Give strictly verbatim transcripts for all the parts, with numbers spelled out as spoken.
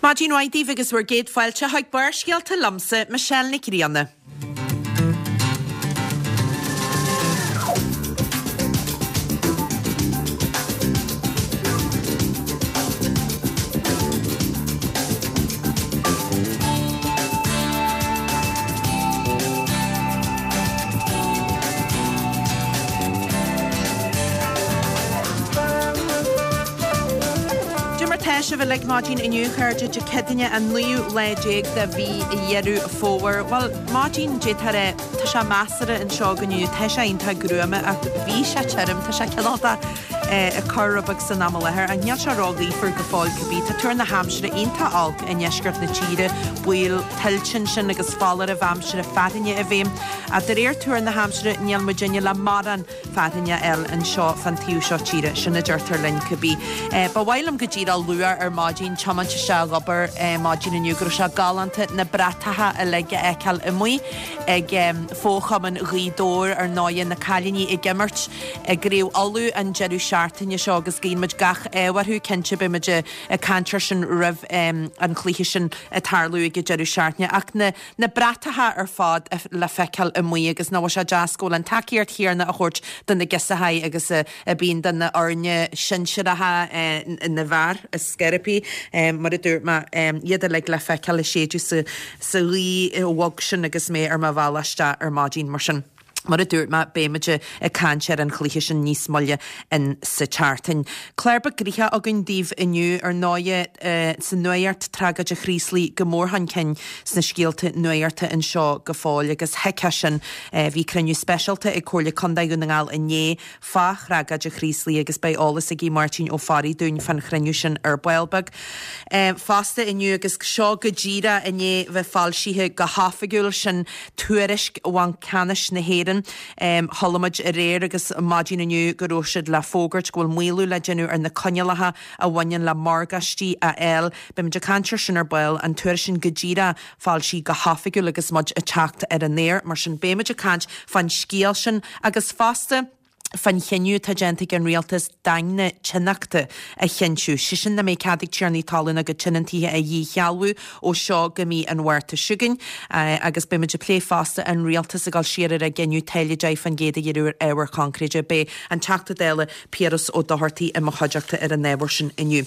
Maidin mhaith daoibh agus bhur gcéad fáilte chuig Barrscéalta liomsa, Michelle Nic Grianna. Cad é mar tá sibh uilig maidin inniu, a chairde, Dé Céadaoine an naoú lá déag de mhí Dheireadh Fómhair. Bhuel, maidin d'fhéadfá a rá, tá sé measartha anseo inniu, tá sé iontach gruama ach bhí sé tirim, tá sé cineál de ag cur rud beag san am i láthair ach níl sé ró-ghaofar go fóill cibé. Tá tuar na haimsire iontach olc i ndeisceart na tíre, baol tuilte ansin agus foláirimh aimsire fearthainne i bhfeidhm. Ach de réir tuar na haimsire níl muidinne le mórán fearthainne a fháil anseo fán taobh seo tíre, sin a deirtear linn cibé. Ba mhaith liom go díreach lua ar maidin, tiomáint isteach ag obair maidin inniu go raibh sé galánta na bratacha uilig a fheiceáil amuigh ag Fo-Chumann Ghaoth Dobhair, ar ndóighe, na cailíní ag imirt i gCraobh Uladh an deireadh seachtaine seo agus guíonn muid gach ádh orthu, cinnte beidh muid ag caint air sin roimh an chluiche sin ag tarlú ag an deireadh seachtaine ach na na bratacha ar fad le feiceáil amuigh agus nach bhfuil sé deas go bhfuil an tacaíocht chéanna á thabhairt do na girseachaí agus a bíonn do na fhoirne sinsearacha na bhfear is scairpí mar a dúirt mé iad uilig le feiceáil ag séideadh sa ghaoth bhog sin agus mé ar mo bhealach isteach ar maidin mar sin. Mar a dúirt mé, beidh muid ag caint ar an chluiche sin níos moille in sa tseachtain. Clár beag gnoitheach againn daoibh inniu, ar ndóighe, sa nuacht, tragóid an Chraoslaigh go mór chun cinn sna scéalta nuachta anseo go fóill agus thuigfeá sin. Bhí cruinniú speisialta ag Comhairle Contae Dhún na nGall inné fá thragóid an Chraoslaigh agus beidh eolas ag Máirtín Ó Fearraigh dúinn fán chruinniú sin ar ball beag. Fosta inniu agus seo go díreach i ndiaidh bheith foilsithe go hoifigiúil, sin tuairisc Bhanc Ceannais na hÉireann. Chuala muid aréir agus maidin inniu go raibh siad le fógairt go bhfuil maolú le déanamh ar na coinníollacha a bhaineann le morgáistí a fháil. Beidh muid ag caint air sin ar ball, an tuairisc sin go díreach foilsithe go hoifigiúil agus muid ag teacht ar an aer. Mar sin beidh muid ag caint fán scéal sin agus fosta fán chinneadh atá déanta ag an rialtas daingne tionachta a chinntiú, sé sin nach mbeidh cead ag tiarnaí talún a gcuid tionóntaithe a dhíshealbhú ó seo go mí an Mhárta seo chugainn. Agus beidh muid ag plé fosta an rialtas ag dul siar ar a gcinneadh táille deich faoin gcéad a ghearradh ar ábhair choincréide. Beidh an Teachta Dála Piaras Ó Dochartaigh i mo chuideachta ar an ábhar sin inniu.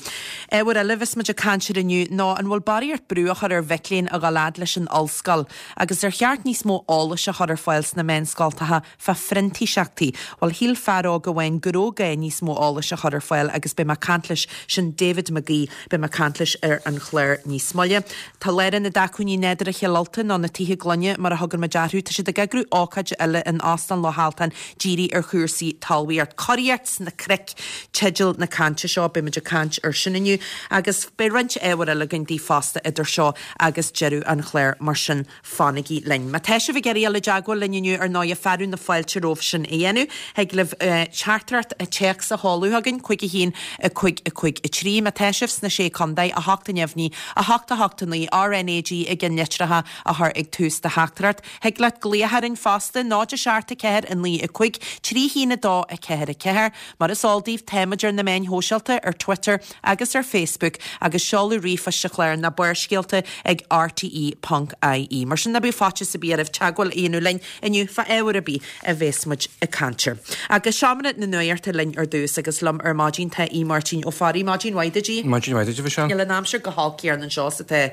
Ábhar eile a bheas muid ag caint air inniu ná an bhfuil barraíocht brú á chur ar mhic léinn a dhul fhad leis an ollscoil agus ar cheart níos mó eolais a chur ar fáil sna meánscoltacha fá phrintíseachtaí. Bhuel, shíl fear óg amháin go raibh gá níos mó eolais a chur ar fáil agus beidh mé ag caint leis, sin David McGee, beidh mé ag caint leis ar an chlár níos moille. Tá Lárionad Acmhainní Nádúrtha Chill Ultain, nó na Tithe Gloine mar a thugann muid orthu, tá siad ag eagrú ócáid eile in Óstán Loch Altan dírithe ar chúrsaí talmhaíocht. Curaíocht sna Cnoic teideal na cainte seo, beidh muid ag caint ar sin inniu agus beidh roinnt ábhair eile againn daoibh fosta idir seo agus deireadh an chláir, mar sin fanaigí linn. Má tá sibh ag iarraidh dul i dteagmháil linn inniu, ar ndóighe, fearadh na fáilte romhaibh sin a dhéanamh. Thig libh teachtaireacht téacs a sheoladh chugainn, cúig a haon, a cúig, a cúig, a trí. Má tá sibh sna Sé Contae, a hocht neamhní, a hocht, a hocht, a naoi, RnaG i gceannlitreacha a chur ag tús do theachtaireacht. Thig leat glaoch orainn fosta, náid a seacht, a ceathair, a naoi, a cúig, trí haon, a dó, a ceathair, a ceathair. Mar is eol daoibh, táimid ar na meáin shóisialta, ar Twitter agus ar Facebook, agus seoladh ríomhphoist an chláir ná barrscéalta ag rte ponc ie. Mar sin ná bíodh faitíos ar bith oraibh teagmháil a dhéanamh linn inniu fá ábhar ar bith a bheas muid ag caint air. Agus seomra na nuachta linn ar dtús agus liom ar maidin tá Aodh Máirtín Ó Fearraigh. Maidin mhaith duit, a Aoidh. Maidin mhaith duit, a Mhichelle. Níl an aimsir go holc céanna anseo is atá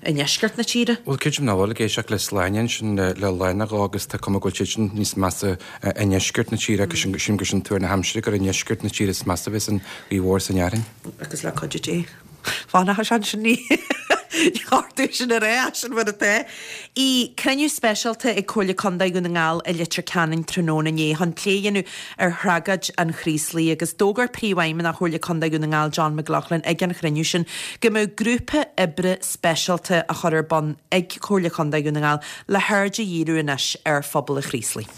i ndeisceart na tíre. Bhuel, creidim nach bhfuil, ag éisteacht le Sláine ansin le lá nó dhó agus tá cuma go bhfuil sé sin níos measa i ndeisceart na tíre agus sílim gur sin tuar na haimsire gur i ndeisceart na tíre is measa a bheas an ghaoth mhór is an fhearthainn. Agus le cuidiú Dé. Fanfaidh sé ansin ní chortú sin ar é sin mar atá. Bhí cruinniú speisialta ag Comhairle Contae Dhún na nGall i Leitir Ceanainn tráthnóna inné chun plé a dhéanamh ar thragóid an Chraoslaigh agus d'fhógair Príomhfheidhmeannach Chomhairle Contae Dhún na nGall John McLaughlin ag an chruinniú sin go mbeadh grúpa oibre speisialta á chur ar bun ag Comhairle Contae Dhún na nGall le haird a dhíriú anois ar phobal an Chraoslaigh.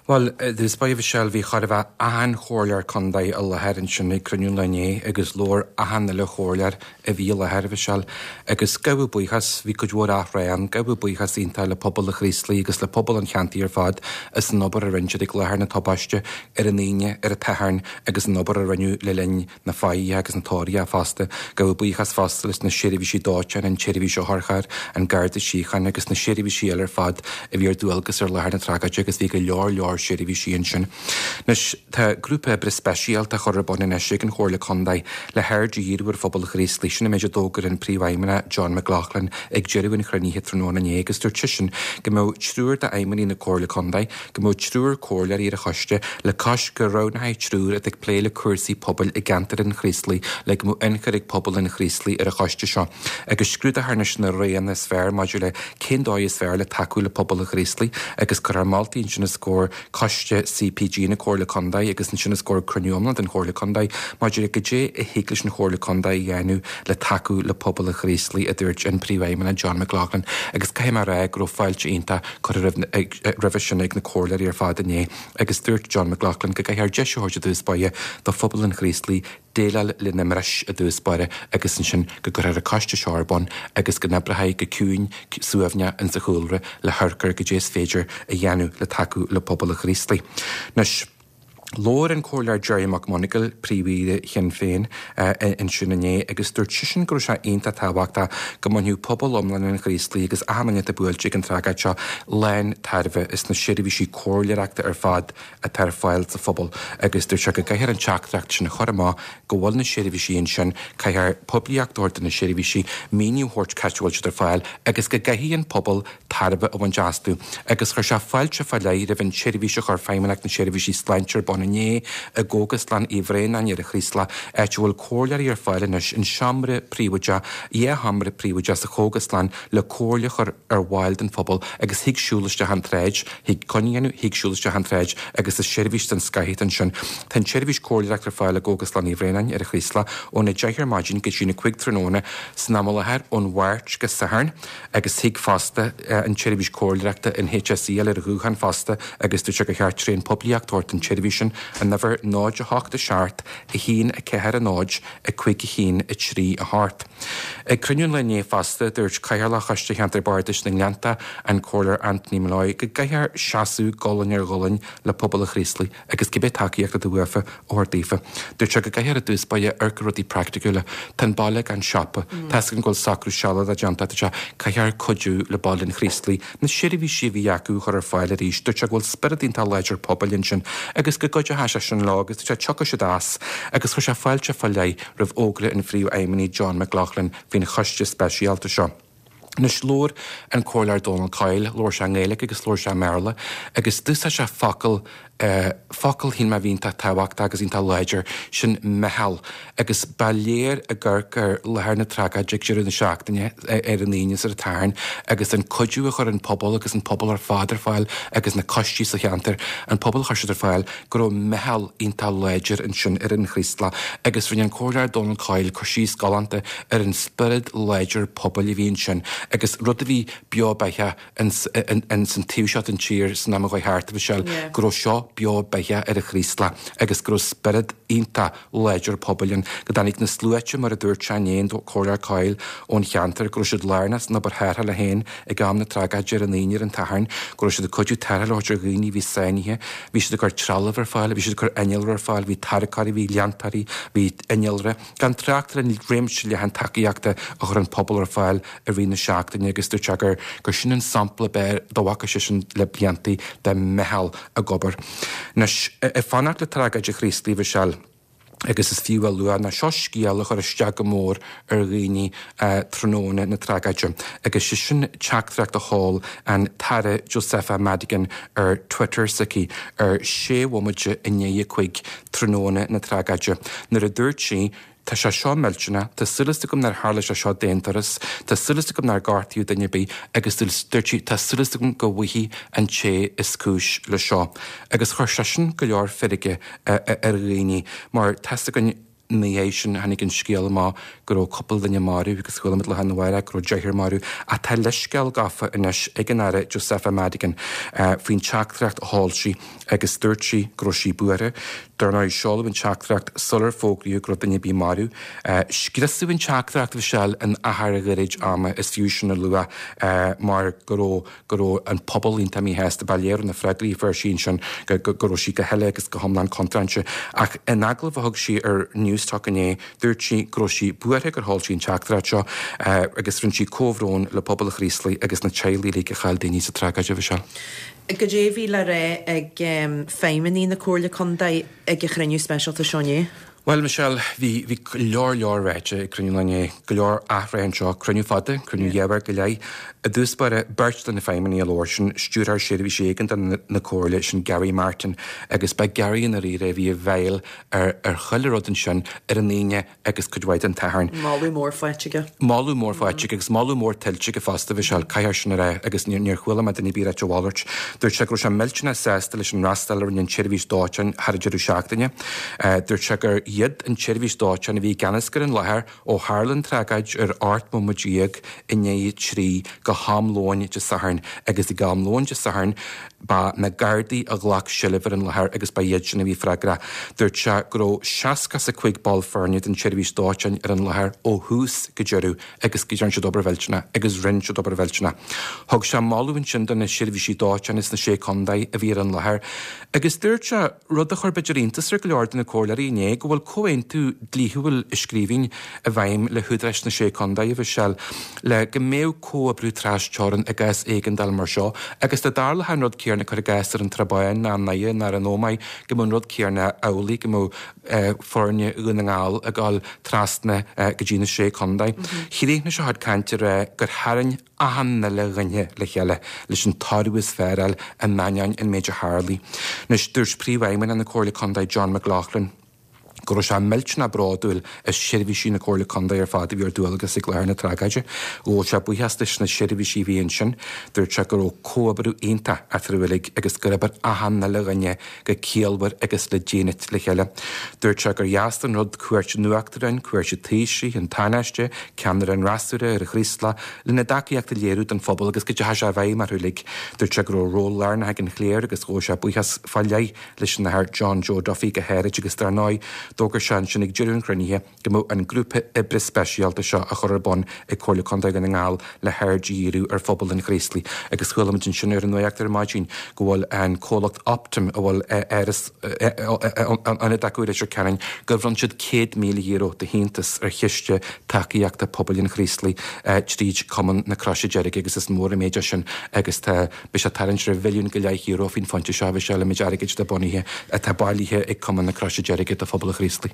Bhuel, i dtús báire, a Mhichelle, bhí chóir a bheith achan chomhairleoir contae i láthair ansin ag cruinniú an lae inné agus labhair achan uile chomhairleoir a bhí i láthair, a Mhichelle. Agus gabhadh buíochas, bhí cuid mhór athrá ann, gabhadh buíochas iontach le pobal an Chraoslaigh agus le pobal an cheantair ar fad as an obair a rinne siad ag láthair na tubaiste ar an Aoine, ar an tSatharn agus an obair a rinneadh le linn na faillí agus na tóraíochta fosta. Gabhadh buíochas fosta leis na seirbhísí dóiteáin, an tseirbhís otharchairr, an Garda Síochána agus na seirbhísí eile ar fad a bhí ar dualgas ar láthair na tragóide agus bhí go leor leor seirbhísí ansin. Anois, tá grúpa oibre speisialta á chur ar bun anois ag an Chomhairle Contae le haird a dhíriú ar phobal an Chraoslaigh. Sin an méid a d'fhógair an Príomhfheidhmeannach John McLaughlin ag deireadh an chruinnithe tráthnóna inné agus dúirt seisean go mbeadh triúr d'fheidhmeannaigh na Comhairle Contae, go mbeadh triúr comhairleoirí ar an choiste le cois go roghnófaí triúr atá ag plé le cúrsaí pobail i gceantar an Chraoslaigh le go mbeadh ionchur ag pobal an Chraoslaigh ar an choiste seo agus scrúdófar anois na roghanna is fearr maidir le cén dóigh is fearr le tacú le pobal an Chraoslaigh agus cuirfear moltaí ansin os comhair coiste C P G na Comhairle Contae agus ansin os comhair cruinniú iomlán den Chomhairle Contae maidir le goidé a thig leis an Chomhairle Contae a dhéanamh le tacú le pobal an Chraoslaigh, a dúirt an Príomhfheidhmeannach John McLaughlin. Agus caithfidh mé a rá go raibh fáilte iontach curtha roimhe sin ag na comhairleoirí ar fad inné agus dúirt John McLaughlin go gcaithfear deis a thabhairt i dtús báire do phobal an Chraoslaigh déileáil lena mbris i dtús báire agus ansin go gcuirfear an coiste seo ar bun agus go n-oibreofaí go ciúin suaimhneach insa chúlra le hamharc ar goidé is féidir a dhéanamh le tacú le pobal an Chraoslaigh. Anois, labhair an Comhairleoir Gerry McMonagall, príomhaire Shinn Féin, ansin inné agus dúirt seisean go raibh sé iontach tábhachtach go mbainfeadh pobal iomlán an Chraoslaigh agus achan duine atá buailte ag an tragóid seo lán tairbhe as na seirbhísí comhairleoireachta ar fad atá ar fáil sa phobal agus dúirt sé go gcaithfear an teachtaireacht sin a chur amach go bhfuil na seirbhísí ansin, caithfear poiblíocht a thabhairt do na seirbhísí, míniú a thabhairt cá háit a bhfuil siad ar fáil agus go gcaithfidh an pobal tairbhe a bhaint astu agus chuir sé fáilte fá leith roimh an tseirbhís a chuir Feidhmeannacht na Seirbhísí Sláinte ar bun inné i gCógaslann Uí Bhraonáin ar an Chraoslach, áit a bhfuil comhairleoirí ar fáil anois in seomra príobháideach, dhá sheomra príobháideach sa chógaslann le comhairle a chur ar bhaill den phobal agus thig siúl isteach an tsráid, thig coinne a dhéanamh, thig siúl isteach an tsráid agus is seirbhís den scoth ansin. Tá an tseirbhís comhairleoireachta ar fáil i gCógaslann Uí Bhraonáin ar an Chraoslach óna deich ar maidin go dtí na cúig tráthnóna san am i láthair ón Mháirt go Satharn agus thig fosta an tseirbhís comhairleoireachta in H S E ar ghuthán fosta agus dúirt sé gur cheart tréan poiblíocht a thabhairt don tseirbhís sin an uimhir náid a hocht seacht a haon ceathair náid cúig a haon trí a hocht. Ag cruinniú an lae inné fosta, dúirt Cathaoirleach Choiste Cheantar Bardais na nGleannta, an Comhairleoir Anthony Molloy, go gcaithfear seasamh gualainn ar ghualainn le pobal an Chraoslaigh agus cibé tacaíocht atá uafa a thabhairt daofa. Dúirt sé go gcaithfear i dtús báire amharc ar rudaí praiticiúla. Tá an baile gan siopa. Tá go bhfuil socrú sealadach déanta, tá caithfear cuidiú le baile an Chraoslaigh na seirbhísí a bhí acu a chur ar fáil arís. Dúirt sé go bhfuil spiorad iontach láidir pobail ansin agus go gcuideoidh sé sin leo agus dúirt sé tiocfaidh siad as agus chuir sé fáilte fá leith roimh fhógra an phríomhfheidhmeannaigh John McLaughlin faoin choiste speisialta seo. Anois, labhair an Comhairleoir Donal Coyle, labhair sé i nGaeilge agus labhair sé i mBéarla, agus d'úsáid sé focal uh, focal shíl mé a bhí iontach tábhachtach agus iontach láidir, sin meitheal, agus ba léir ag amharc ar láthair na tragóide ag deireadh na seachtaine ar an Aoine is ar an Satharn agus an cuidiú a chuir an pobal agus an pobal ar fad ar fáil agus na coistí sa cheantar, an pobal a chuir siad ar fáil, go raibh meitheal iontach láidir ansin ar an Chraoslach agus rinne an Comhairleoir Donal Coyle cur síos galánta ar an spiorad láidir pobail a bhí ansin agus rud a bhí beo beatha in san taobh seo den tír san am a chuaigh thart, a Mhichelle, go raibh seo beo beatha ar an Chraoslach agus go raibh spiorad iontach láidir pobail ann, go dtáinig na sluaite, mar a dúirt sé inné, an Comhairleoir Coyle, ón cheantar, go raibh siad lárnach san obair tharrthála féin ag am na tragóide ar an Aoine, ar an Satharn, go raibh siad ag cuidiú tarrtháil a thabhairt ar dhaoine a bhí sáinnithe, bhí siad ag cur trealamh ar fáil, bhí siad ag cur innealra ar fáil, bhí tarracóirí, bhí leantóirí, bhí innealra, gan trácht ar an réimse leathan tacaíochta a chuir an pobal ar fáil i rith na seachtaine agus dúirt sé gur gur sin an sampla ab fhearr dá bhfaca seisean le blianta de mheitheal ag obair. Anois, ag fanacht le tragóid an Chraoslaigh, a Mhichelle, agus is fiú a lua ná seo scéal a chuir isteach go mór ar dhaoine tráthnóna na tragóide, agus sé sin teachtaireacht a sheol an tAire Josepha Madigan ar Twitter s'aici ar sé bhomaite i ndiaidh a cúig tráthnóna na tragóide, nuair a dúirt sí: "Tá sé seo millteanach, tá súil agam nár tharla sé seo d'aon turas, tá súil agam nár gortaíodh duine ar bith," agus dúirt sí, "tá súil agam go bhfaighidh an té is cúis le seo." Agus chuir sé sin go leor feirge ar dhaoine mar tá a fhios againn ina dhiaidh sin tháinig an scéal amach go go raibh cúpla duine marbh agus chuala muid lá arna mhárach go raibh deichniúr marbh ach tá leithscéal gafa anois ag an Aire Josepha Madigan faoin teachtaireacht a sheol sí agus dúirt sí go raibh sí buartha. Dar ndóigh seoladh an teachtaireacht sular fógraíodh go raibh duine ar bith marbh. Scriosadh an teachtaireacht a Mhichelle in achar gairid ama is fiú sin a lua mar go raibh go raibh an pobal iontach míshásta ba léir ó na freagraí a fuair sí ansin go go raibh sí go huile agus go hiomlán contráilte. Ach in agallamh a thug sí ar Newstalk inné, dúirt sí go raibh sí buartha gur sheol sí an teachtaireacht seo agus rinne sí comhbhrón le pobal an Chraoslaigh agus na teaghlaigh uilig a chaill daoine sa tragóid, a Mhichelle. Goidé a bhí le rá ag feidhmeannaigh na Comhairle Contae ag an chruinniú speisialta seo inné? Bhuel Michelle, bhí bhí go leor leor ráite ag cruinniú an lae inné, go leor athrá anseo, cruinniú fada, cruinniú dhá uair go leith. I dtús báire, beirt de na feidhmeannaigh a labhair, sin Stiúrthóir Seirbhísí Éigeandála na Comhairle, sin Gary Martin, agus ba Gary i ndáiríre a bhí a bhéal ar ar chuile rud ansin ar an Aoine agus cuid mhaith den tSatharn. Moladh mór faighte aige. Moladh mór faighte aige agus moladh mór tuillte aige fosta, Michelle, caithfear sin a rá agus níor níor chuala mé duine ar bith ag ráit a mhalairt. Dúirt sé go raibh sé millteanach sásta leis an fhreastal a rinne an tseirbhís dóiteáin thar an deireadh seachtaine. Dúirt sé gur iad an tseirbhís dóiteáin a bhí i gceannas ar an láthair ó tharla an tragóid ar ocht mbomaite déag i ndiaidh a trí go ham lóin Dé Sathairn agus ag am lóin Dé Sathairn ba na Gardaí a ghlac seilbh ar an láthair agus ba iad sin a bhí freagrach. Dúirt sé go raibh seasca is a cúig ball foirne den tseirbhís dóiteáin ar an láthair ó thús go deireadh agus go dtearn siad obair mhillteanach agus rinne siad obair mhillteanach. Thug sé moladh ansin do na seirbhísí dóiteáin sna Sé Contae a bhí ar an láthair agus dúirt sé rud a chuir b'fhéidir iontas ar go leor de na comhairleoirí inné, go bhfuil comhaontú dlíthiúil i scríbhinn i bhfeidhm le húdaráis na Sé Contae, a Mhichelle, le go mbeadh comhoibriú trasteorann i gcás éigeandála mar seo agus dá dtarlódh an rud céanna, cuir i gcás, ar an Trá Bháin ná i nDoire ná ar an Ómaigh, go mbeadh an rud céanna amhlaidh, go mbeadh foirne Dhún na nGall ag dul trasna go dtí na Sé Contae. Chríochnaigh sé a chuid cainte ag rá gur tharraing achan uile dhuine le chéile leis an toradh is fearr a fháil in ainneoin an méid a tharlaigh. Anois, dúirt Príomhfheidhmeannach na Comhairle Contae John McLaughlin go raibh sé millteanach bródúil as seirbhísí na Comhairle Contae ar fad a bhí ar dualgas ag láthair na tragóide. Ghabh sé buíochas leis na seirbhísí a bhí ansin. Dúirt sé go raibh comhoibriú iontach eatarthu uilig agus gur oibir achan uile dhuine go ciallmhar agus le dínit le chéile. Dúirt sé gur dheas an rud cuairt an Uachtaráin, cuairt an Taoisigh, an Tánaiste, ceannaire an fhreasúra ar an Chraoslach lena dtacaíocht a léiriú don phobal agus go dteachaigh sé i bhfeidhm orthu uilig. Dúirt sé go raibh ról lárnach ag an chléir agus ghabh sé buíochas fá leith leis an Athair John Joe Duffy go háirid agus dar ndóigh d'fhógair sé ansin ag deireadh an chruinnithe go mbeadh an grúpa oibre speisialta seo á chur ar bun ag Comhairle Contae Dhún na nGall le haird a dhíriú ar phobal an Chraoslaigh agus chuala muid ansin ar an nuacht ar maidin go bhfuil an comhlacht Optum a bhfuil áras ionad acu i Leitir Ceanainn gur bhronn siad céad míle euro de shíntiús ar chiste tacaíochta pobail an Chraoslaigh tríd Cumann na Croise Deirge agus is mór an méid é sin agus tá beidh sé tarraingt ar mhilliún go leith euro faoin phointe seo bhí sé le méid airgid atá bunaithe atá bailithe ag Cumann na Croise Deirge do phobal an Chraoslaigh.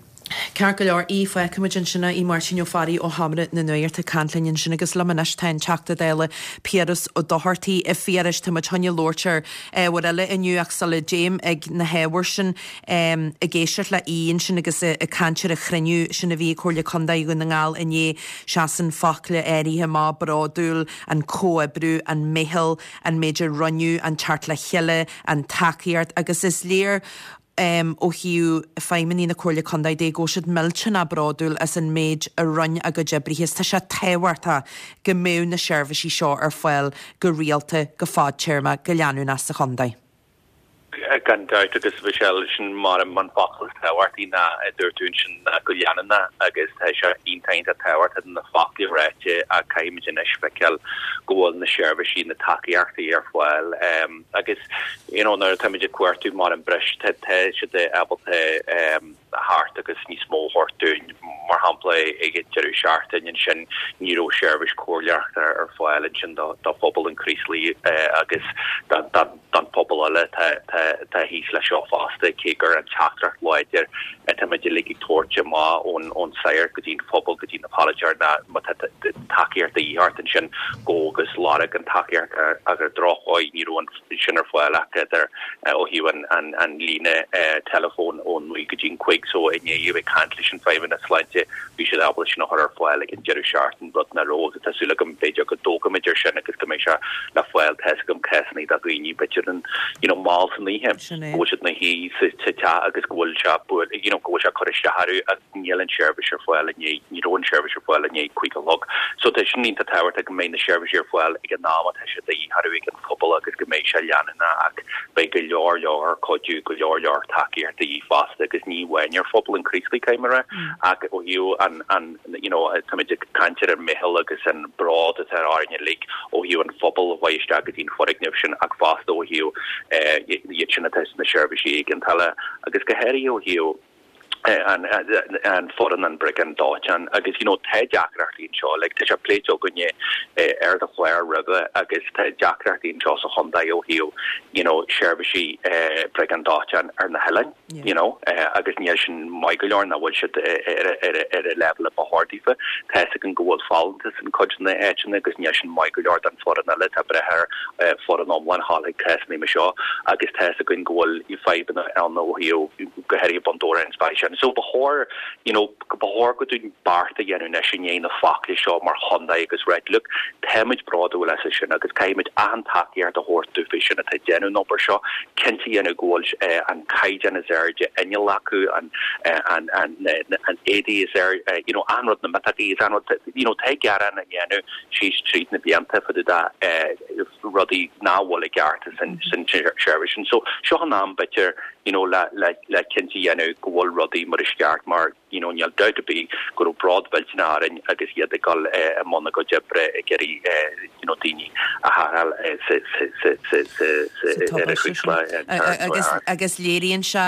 Ceart go leor, Aodh, fágfaimid ansin é, Aodh Máirtín Ó Fearraigh ó Sheomra na Nuachta ag caint linn ansin agus liom anois tá an Teachta Dála Piaras Ó Dochartaigh. A Phiarais, tá muid chun labhairt ar ábhair eile inniu ach sula dtéim ag na hábhair sin, ag éisteacht le Aodh ansin agus ag caint ar an chruinniú sin a bhí ag Comhairle Contae Dhún na nGall inné, seasann focla áirithe amach, bródúil, an comhoibriú, an meitheal, an méid a rinneadh, an teacht le chéile, an tacaíocht agus is léir ó thaobh feidhmeannaigh na Comhairle Contae de go bhfuil siad millteanach bródúil as an méid a rinne a gcuid oibrithe is tá sé tábhachtach go mbeadh na seirbhísí seo ar fáil go rialta, go fadtéarmach, go leanúnach sa chontae. Gan dabht agus Michelle, sin mar an focal is tábhachtaí ná a dúirt tú ansin ná go leanúnach agus tá sé iontach iontach tábhachtach na foclaí ráite ach caithfimid anois feiceáil go bhfuil na seirbhísí, na tacaíochtaí ar fáil agus you know nuair atáimid ag cuartú mar an breis tá siad ábalta theacht agus níos mó a thabhairt dúinn. Mar shampla ag an deireadh seachtaine ansin ní raibh seirbhís comhairleoireachta ar fáil ansin do phobal an Chraoslaigh agus don phobal eile atá thíos leis seo fosta, cé gur an teachtaireacht láidir atáimid uilig ag tabhairt amach ón sagart go dtí an phobal go dtí na polaiteoirí ná má tá tacaíocht de dhíth ort ansin gabh agus lorg an tacaíocht ach ar an drochdhóigh ní raibh an sin ar fáil ach idir ó thaobh an líne teileafóin ón naoi go dtí an cúig uilig so i ndiaidh a bheith ag caint leis an Feidhmeannas Sláinte bhí siad ábalta sin a chur ar fáil ag an deireadh seachtaine rud nach raibh agus tá súil agam b'fhéidir go dtógfaimid ar sin agus go mbeidh sé le fáil tá a fhios agam cásanna de dhaoine b'fhéidir an you know mall san oíche go bhfuil siad ina shuí sa teach agus go bhfuil sé you know go bhfuil sé ag cur isteach orthu agus níl an seirbhís ar fáil i ndiaidh ní raibh an seirbhís ar fáil i ndiaidh cúig a chlog so tá sin iontach tábhachtach go mbeidh na seirbhísí ar fáil ag an am atá sé de dhíth orthu ag an phobal agus go mbeidh sé leanúnach ach beidh go leor leor cuidiú go leor leor tacaíocht de dhíth fosta agus ní amháin ar phobal an Chraoslaigh caithfidh mé a rá ach ó thaobh an an you know táimid ag caint ar an meitheal agus an bród atá orainn uilig ó thaobh an phobal a bheidh isteach go dtí an foirgneamh sin ach fosta ó thaobh iad sin atá sna seirbhísí éigeandála agus go háirithe ó thaobh an an foireann an briogáid dóiteáin agus you know tá deacrachtaí anseo like tá sé pléite againne ar do chlár roimhe agus tá deacrachtaí anseo sa chontae ó thaobh you know seirbhísí briogáid dóiteáin ar na hoileáin you know agus níl sin maith go leor nach bhfuil siad ar ar ar a leibhéal a ba chóir daofa. Tá a fhios againn go bhfuil folúntas in cuid de na háiteanna agus níl sin maith go leor don foireann eile tá breith ar foireann iomlán a ghabháil chuig cásanna mar seo agus tá a fhios againn go bhfuil fadhbanna ann ó thaobh go háirithe Bun Dobhráin is beidh sin. So ba chóir you know ba chóir go dúinn beart a dhéanamh anois i ndiaidh na focla seo mar chontae agus right look táimid bródúil as sin agus caithfimid achan tacaíocht a thabhairt dóibh sin atá ag déanamh an obair seo cinnte a dhéanamh go bhfuil eh, an caighdeán is airde inneall acu an eh, an an an éadaí is air eh, you know an rud na miotacaí is an rud you know tá gearán á dhéanamh síos tríd na blianta fá dtaobh de rudaí nach bhfuil i gceart san san seirbhís sin so seo an am b'fhéidir you know le le le cinnte a dhéanamh go bhfuil rudaí mar is ceart mar you know níl dabht ar bith go raibh bród millteanach orainn agus iad ag dul i mbun a gcuid oibre ag iarraidh you know daoine a tharrtháil sa sa sa sa sa sa ar a agus agus léiríonn sé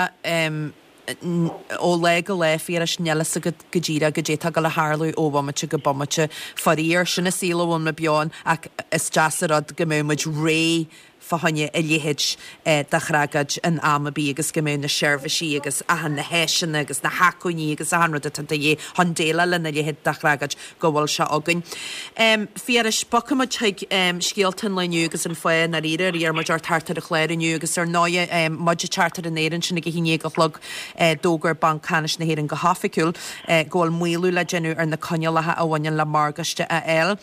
ó lá go lá Phiarais níl a fhios agat go díreach goidé atá ag gabháil a tharlú ó bhomaite go bomaite. Faraor sin an saol a bhfuil muid beo ann ach is deas an rud go mbeidh muid réidh fá choinne a leithéid de thragóid in am ar bith agus go mbeidh na seirbhísí agus achan na háiseanna agus na hacmhainní agus achan rud atá de dhíth chun déileáil lena leithéid de thragóid go bhfuil sé againn. Um, Phiarais bogfaidh muid chuig um, scéalta an lae inniu agus an fáth i ndáiríre ar iarr muid ort teacht ar an chlár inniu agus ar ndóigh um, muid ag teacht ar an aer ansin ag a haon déag a chlog uh, d'fhógair Banc Ceannais na hÉireann go hoifigiúil uh, go bhfuil maolú le déanamh ar na coinníollacha a bhaineann le morgáiste a fháil.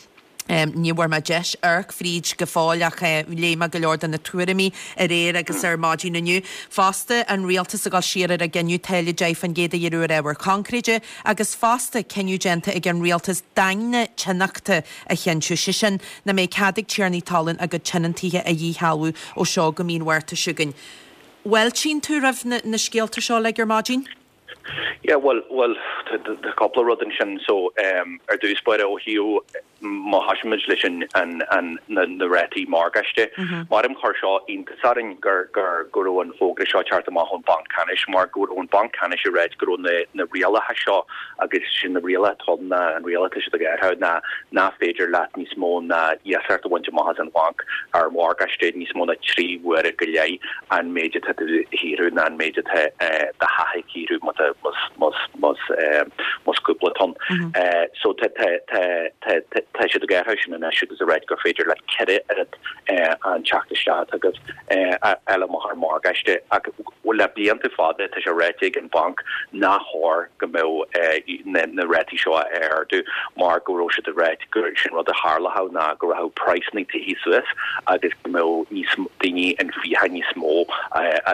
Um, ní bhfuair mé deis amharc fríd go fóill ach uh, léigh mé go leor de na tuairimí aréir agus ar maidin inniu. Fosta an rialtas ag dul siar ar a gcinneadh táille deich faoin gcéad a ghearradh ar ábhar coincréite agus fosta cinneadh déanta ag an rialtas daingne tionachta a chinntiú sé sin nach mbeidh cead ag tiarnaí talún a gcuid tionóntaithe a dhíshealbhú ó seo go mí an Mhárta seo chugainn. Fáiltíonn tú roimh na, na scéalta seo le ar maidin? Yeah, well, well, tá cúpla rud ansin so um, ar dtús báire ó thaobh má thosaímid leis an, an, an, na, na rátaí morgáiste. Mm -hmm. Mar chuir seo iontas orainn gur gur go raibh an fógra seo teacht amach ón Banc Ceannais mar go raibh an Banc Ceannais ag rá go raibh na, na rialacha seo agus sin na rialacha na an rialacha seo go ná nach féidir leat níos mó ná iasacht a bhaint amach as an bhanc ar mhorgáiste níos mó ná trí huaire go leith an méid atá tú a shaothrú ná an méid atá do thaithí a shaothrú más más cúpla tonn. Mm -hmm. So tá tá siad ag athrú sin anois agus ag rá gur féidir le ceithre oiread an teacht isteach agus eile amach ar morgáiste ach le blianta fada tá sé ráite ag an banc nach chóir go mbeadh na rátaí seo a ardú mar go raibh siad ag rá gur sin rud a tharlódh ná go raibh praghsanna tithe suas agus go mbeadh níos daoine in fiacha níos mó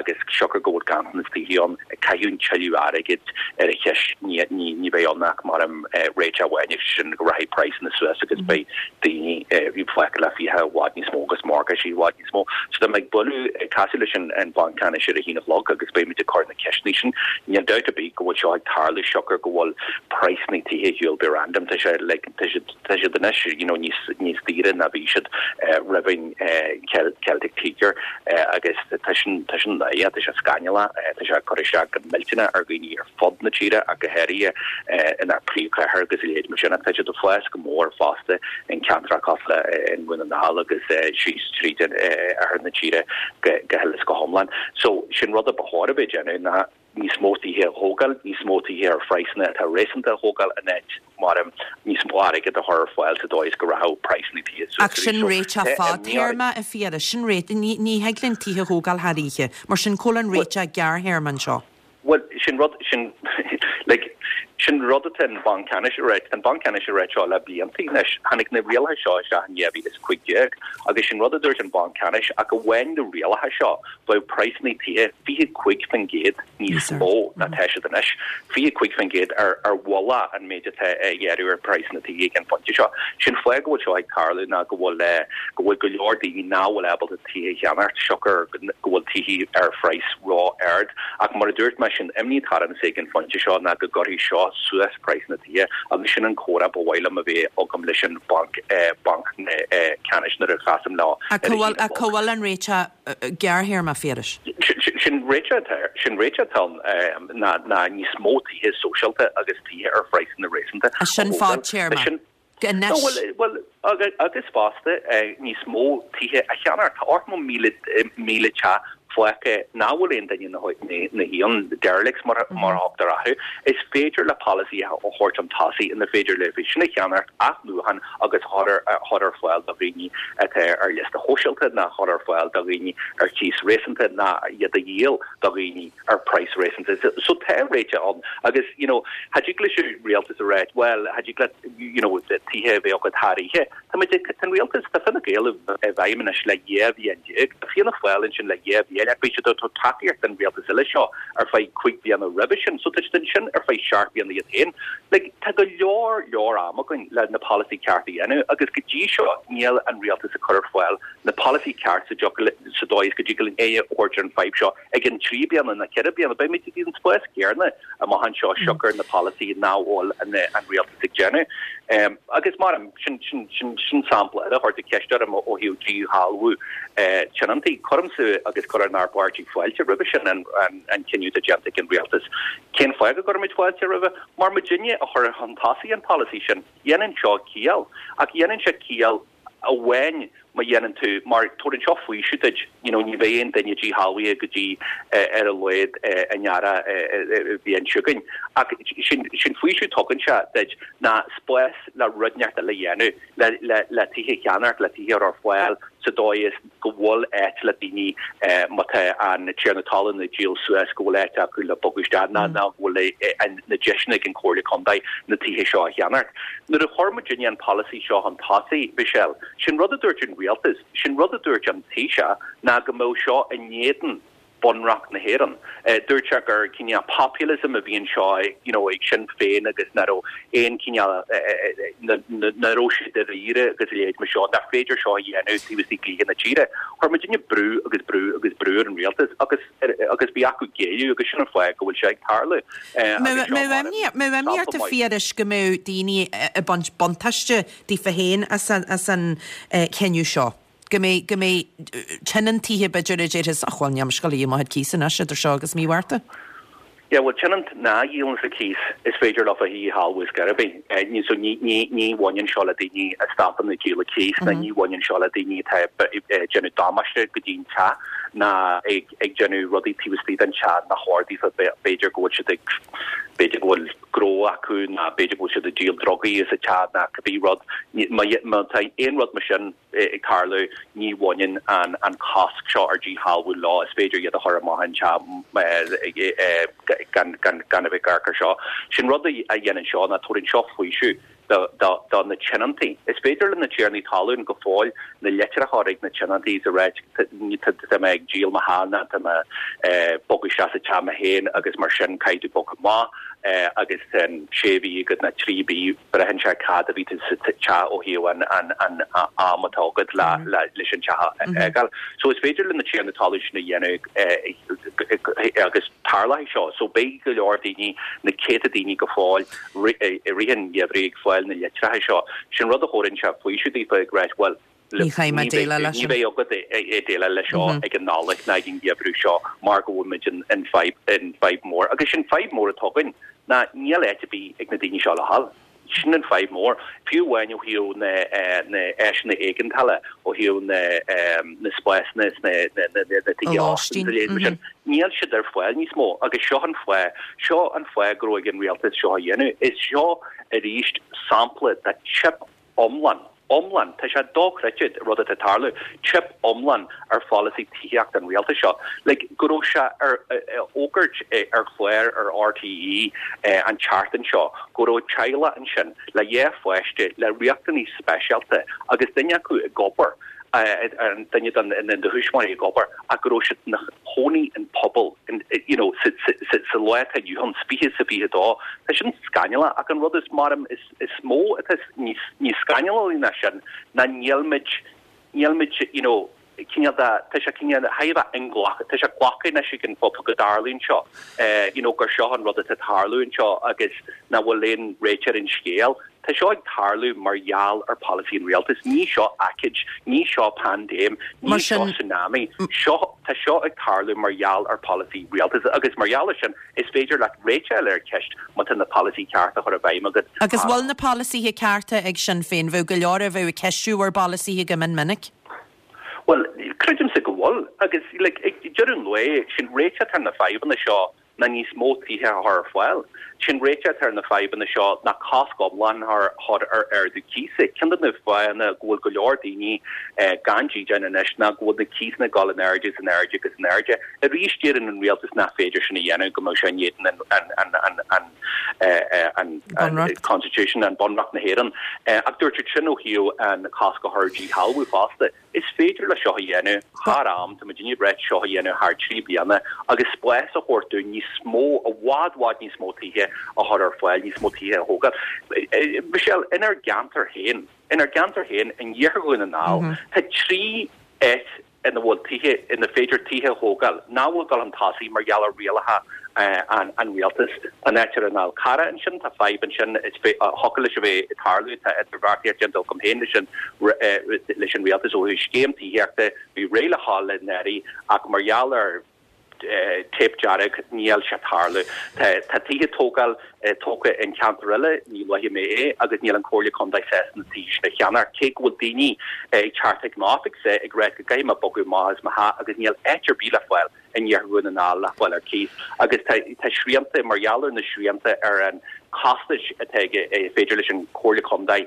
agus siocair go bhfuil ganntanas tithe ann ag caitheamh tuilleadh airgid ar a cheist ní ní bheidh ann ach mar am réiteach amháin sin go rachaidh praghsanna suas agus beidh daoine bhí fágtha le fiacha i bhfad níos mó agus morgáistí i bhfad níos mó. So tá mé ag bualadh casadh leis an an Banc Ceannais ar a haon a chlog agus beimid ag cur na ceisteanna sin. Níl dabht ar bith go bhfuil seo ag tarlú siocair go bhfuil praghsanna tithe ar shiúl random tá sé like tá siad tá siad anois you know níos níos daoire ná bhí siad roimh an Celtic Tiger agus tá sin tá sin tá sé scannalach tá sé cur isteach go millteanach ar dhaoine ar fud na tíre ach go háirithe inár bpríomhchathair agus a leithéid mar sin tá siad ag fás go mór fosta in ceantracha cosúil in Dhún na nGall agus síos tríd ar na tíre go go huile is go hiomlán. So sin rud a ba chóir a bheith déanamh ná níos mó tithe a thógáil, níos mó tithe ar phraghsanna atá réasúnta a thógáil in áit mar níos mó airgead a chur ar fáil sa dóigh is go rachadh praghsanna tithe suas. Ach sin réiteach fadtéarma a Phiarais, sin réit ní ní thig linn tithe a thógáil thar oíche, mar sin cá bhfuil an réiteach gearrthéarma anseo. Well sin rud sin Like, sin rud atá an Banc Ceannais a ráit, an Banc Ceannais a ráit seo le blianta anois, tháinig na rialacha seo isteach in dhá mhíle is cúig déag agus sin rud a dúirt an Banc Ceannais ach amháin na rialacha seo bheadh praghsanna tithe fiche cúig faoin gcéad níos mó ná tá siad anois, fiche cúig faoin gcéad ar ar mhullach an méid atá á ghearradh ar praghsanna tithe ag an phointe seo. Sin fáth go bhfuil seo ag tarlú ná go bhfuil go bhfuil go leor daoine nach bhfuil ábalta tithe a cheannacht siocair go bhfuil tithe ar phraghas ró-ard ach mar a dúirt mé sin imní atá ormsa ag an phointe seo ná go gcuirfidh seo suas praghas na tithe agus sin an comhrá ba mhaith liom a bheith agam leis an banc banc ceannais nuair a chasaim leo. Ach cá bhfuil an réiteach gearrthéarma Phiarais? Sin réiteach sin réiteach atá ann ná ná níos mó tithe sóisialta agus tithe ar phraghsanna réasúnta. Sin fadtéarma. Anois. Bhuel, agus fosta níos mó tithe a cheannacht. Tá ocht míle míle teach fágtha nach bhfuil aon duine ina shuí ann, derelicts mar a thugtar orthu. Is féidir le polasaí a thabhairt chun tosaigh ina féidir le sin a cheannacht, athnuachan agus a chur ar fáil do dhaoine atá ar liosta shóisialta ná chur ar fáil do dhaoine ar chíos réasúnta ná iad a dhíol do dhaoine ar praghas réasúnta. So tá réiteach ann agus you know, cha dtig leis an rialtas a rá, well, cha dtig le you know, tithe a bheith agat thar oíche. Tá muid ag an rialtas, tá Fine Gael i bhfeidhm anois le dhá bhliain déag. Tá Fianna Fáil ansin le dhá bhliain ach bhí siad ag tabhairt tacaíocht don rialtas uile seo ar feadh cúig bliana roimhe sin, so tá siad ansin ar feadh seacht bliana iad féin. Like, tá go leor leor am againn le na polasaí ceart a dhéanamh agus go dtí seo níl an rialtas ag cur ar fáil na polasaí ceart sa sa dóigh is go dtig linn aghaidh a thabhairt ar an fadhb seo ag an trí bliana na ceithre bliana. Beidh muid ag an spás céanna amach anseo siocair na polasaí nach bhfuil an an rialtas ag déanamh. Um, agus mar sin sin sin sin sampla eile chuir tú ceist orm ó thaobh díshealbhú eh, tionóntaí cuirimse agus cuireann ár bpáirtí fáilte roimhe sin an, an, an cinneadh atá déanta ag an rialtas. Cén fáth go gcuirimid fáilte roimhe? Mar muidinne a chuir chun tosaigh an polasaí sin. Dhéanann seo ciall ach dhéanann sé ciall amháin má dhéanann tú mar tugann seo faoiseamh duit you know, ní bheidh aon duine díshealbhaithe go dtí eh, ar a laghad eh, an earrach eh, bhliain seo chugainn. Ach sin sin faoiseamh tugann sé duit ná spás le rud inteacht eile a dhéanamh le, le, le tithe a cheannacht le tithe ar fáil sa dóigh is go bhfuil áit le daoine eh, má tá an tiarna talún ag díol suas go bhfuil áit acu le bogadh isteach ná ná go bhfuil eh, na deiseanna ag an Chomhairle Contae na tithe seo a cheannacht. Nuair a chuir muidinne an polasaí seo chun tosaigh Michelle, sin rud a dúirt an rialtas, sin rud a dúirt an Taoiseach ná go mbeadh seo in éadan Bunreacht na hÉireann. Uh, dúirt sé gur cineál populism a bhí anseo you know, ag Sinn Féin agus nach raibh aon cineál nach raibh sé dáiríre agus a leithéid mar seo nach féidir seo a dhéanamh taobh istigh de dhlíthe na tíre. Chuir muidinne brú agus brú agus brú ar an rialtas agus agus bhí acu géilleadh agus sin an fáth go bhfuil sé ag tarlú. Mbeadh imní ort a Phiarais go mbeadh daoine ag baint buntáiste daofa féin as an, as an cinneadh seo. Go mbeidh go mbeidh tionóntaithe b'fhéidir a déarfas ach bhuel níl mise ag gabháil a dhíol mo chuid cíos anois idir seo agus mí Mhárta. Yeah, well tionónt nach ndíolann a cíos is féidir leo a dhíshealbhú ar scor ar bith. Ní so ní ní ní bhaineann seo le daoine a stopann ag díol a cíos ná ní bhaineann seo le daoine atá ag déanamh damáiste go dtí an teach ná ag ag déanamh rudaí taobh istigh den teach nach chóir daofa b'fhéidir go bhfuil siad ag b'fhéidir go bhfuil gnó acu ná b'fhéidir go bhfuil siad ag díol drugaí sa teach ná cibé rud má má tá aon rud mar sin ag tarlú ní bhaineann an an cosc seo ar díshealbhú leo is féidir iad a chur amach an teach gan gan gan a bheith ag amharc seo. Sin rud a dhéanann seo ná tugann seo faoiseamh do do do na tionóntaí. Is féidir le na tiarnaí talún go fóill na litreacha a chur ag na tionóntaí a rá tá mé ag díol mo theach ná tá mé bogadh isteach sa teach mé féin agus mar sin caithfidh tú bogadh amach agus an sé mhí agat ná trí mhí braitheann sé cad a bhí tú sa teach ó thaobh an an an am atá agat le le leis an teach a fhágáil. So is féidir le na tiarnaí talún sin a dhéanamh agus tarlóidh seo, so beidh go leor daoine na céadta daoine go fóill i rith an gheimhridh ag fáil na litreacha seo. Sin rud a chuireann sé faoiseamh daofa ag rá well Ní chaithfidh mé déileáil leis ní bheidh agat ag déileáil leis seo ag an Nollaig ná ag an gheimhreadh seo mar go bhfuil muid in in fadhb in fadhb mór. Agus sin fadhb mór atá againn ná níl áit ar bith ag na daoine seo le dhul. Sin an fadhb mór. Fiú amháin ó thaobh na na áiseanna éigeandála ó thaobh na na spásanna na na na na tithe lóistín. sin. Níl siad ar fáil níos mó agus seo an fáth seo an fáth go raibh an rialtas seo a dhéanamh. Is seo arís sampla de teip iomlán iomlán, tá sé dochreidte rud atá ag tarlú, teip iomlán ar pholasaí tithíochta an rialtais seo. Like, go raibh sé ar fhógairt ar chlár ar RTÉ an tseachtain seo go raibh teaghlach ansin le dhá pháiste le riachtanais speisialta agus duine acu ag obair, an duine de na tuismitheoirí ag obair ach go raibh siad ina chónaí in puball you know, sa lá atá inniu ann, fiche is a fiche dó. Tá sin scannalach ach an rud is maram is, is mó atá níos, níos scannalaí ná sin ná nílmid nílmid you know, cineál de tá sé cineál thar a bheith inghlactha, tá sé glactha anois ag an phobal go dtarlaíonn seo, you know, gur seo an rud atá ag tarlú anseo agus nach bhfuil aon réiteach ar an scéal. Tá seo ag tarlú mar gheall ar pholasaí an rialtais. Ní seo aicíd, ní seo paindéim, ní seo tsunami. Seo, tá seo ag tarlú mar gheall ar pholasaí rialtais agus mar gheall ar sin is féidir leat réiteach a fháil ar an cheist má tá na polasaí cearta a chur i bhfeidhm agat. Agus bhfuil na polasaithe cearta ag Sinn Féin? Bheadh go leor a bheadh ag ceistiú bhur bpolasaithe go mion minic. Bhuel, creidimse go bhfuil agus like, ag deireadh an lae, sin réiteach ar na fadhbanna seo ná níos mó tithe a chur ar fáil. Sin réiteach ar na fadhbanna seo ná cosc iomlán a chur ar ardú cíosa. Ceann de na fáthanna go bhfuil go leor daoine gan dídean anois ná go bhfuil na cíosanna ag dul in airde is in airde agus in airde. Arís deireann an rialtas nach féidir sin a dhéanamh, go mbeadh sé in éadan an an an Constitution, an Bunreacht na hÉireann. Ach dúirt siad sin ó thaobh an cosc a chur ar díshealbhú fosta. Is féidir le seo a dhéanamh thar am, tá muidinne ag ráit seo a dhéanamh thar trí bliana agus spás a thabhairt dúinn níos mó, i bhfad bhfad níos mó tithe a chur ar fáil, níos mó tithe a thógáil. Michelle, inár gceantar féin, inár gceantar féin, in iarthar Dhún na nGall, tá trí áit ina bhfuil tithe, ina féidir tithe a thógáil, nach bhfuil ag dul chun tosaigh mar gheall ar rialacha an rialtais. An áit ar an Fhál Carrach ansin, tá fadhb ansin, is thiocfadh leis a bheith ag tarlú, tá idirbheartaíocht déanta agam féin leis an leis an rialtas ó thaobh scéim tithíochta, bhí réidh le dhul anuraidh ach mar gheall ar teip dearg níl sé ag tarlú. Tá tithe tógáil tógtha in ceantar eile, ní luafaidh mé é, agus níl an Comhairle Contae sásta na tithe sin a cheannach, cé go bhfuil daoine ag teacht chuig m'oifigse ag rá go gcaithfidh mé bogadh amach as mo theach agus níl áit ar bith le fáil in iarthar Dhún na nGall le fáil ar cíos. Agus tá tá srianta mar gheall ar na srianta ar an costais atá ag féidir leis an Comhairle Contae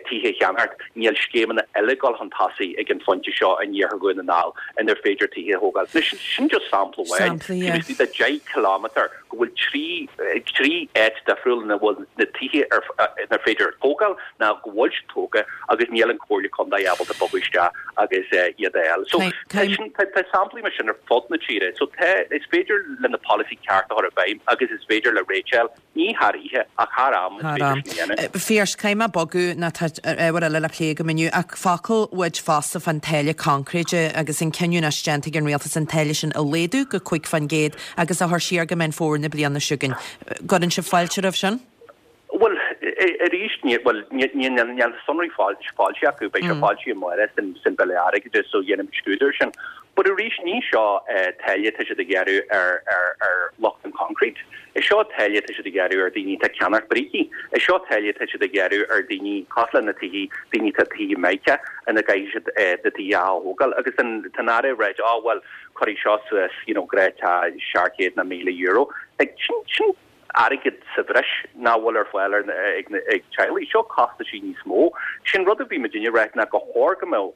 tithe a cheannacht, níl scéimeanna eile ag dul chun tosaigh ag an phointe seo in iarthar Dhún na nGall inar féidir tithe a thógáil. Anois, sin just sampla amháin. Sampla, yeah. Taobh istigh de deich kilometre go bhfuil trí trí áit difriúil ina bhfuil na tithe ar inar féidir tógáil ná go bhfuil siad tógtha agus níl an Comhairle Contae ábalta bogadh isteach agus iad a fháil. So tá sin tá tá samplaí mar sin ar fud na tíre. So tá is féidir le na polasaí ceart a chur i bhfeidhm agus is féidir le réiteach a fháil, ní thar oíche ach thar am is féidir sin a dhéanamh. Phiarais, caithfidh mé bogadh nó tá ábhar eile le plé agam inniu ach focal uait fosta fán táille concréide agus an cinneadh anois déanta ag an rialtas an táille sin a laghdú go cúig faoin gcéad agus a chur siar go Meán Fómhair na bliana seo chugainn. Gcuireann sibh fáilte roimh sin? Bhuel, arís, bhuel, níl na sonraí foilsithe acu, beidh sé foilsithe amárach san Bille Airgeadais so dhéanfaimid scrúdú air sin. But arís, ní seo táille atá siad ag gearradh ar ar lucht an concrete. Is seo táille atá siad ag gearradh ar daoine atá ag ceannacht brící. Is seo táille atá siad ag gearradh ar daoine cosúil le na tithe, daoine atá tithe maithe ina gcaithfidh siad na tithe a thógáil. Agus an tá an Aire ag ráit, oh well, cuirfidh seo suas, you know, gnáthteach seacht gcéad nó míle euro. Like, sin, sin airgead sa bhreis nach bhfuil ar fáil ar ag ag teaghlaigh. Seo costaisí níos mó. Sin rud a bhí muidinne ag ráit ná go chóir go mbeadh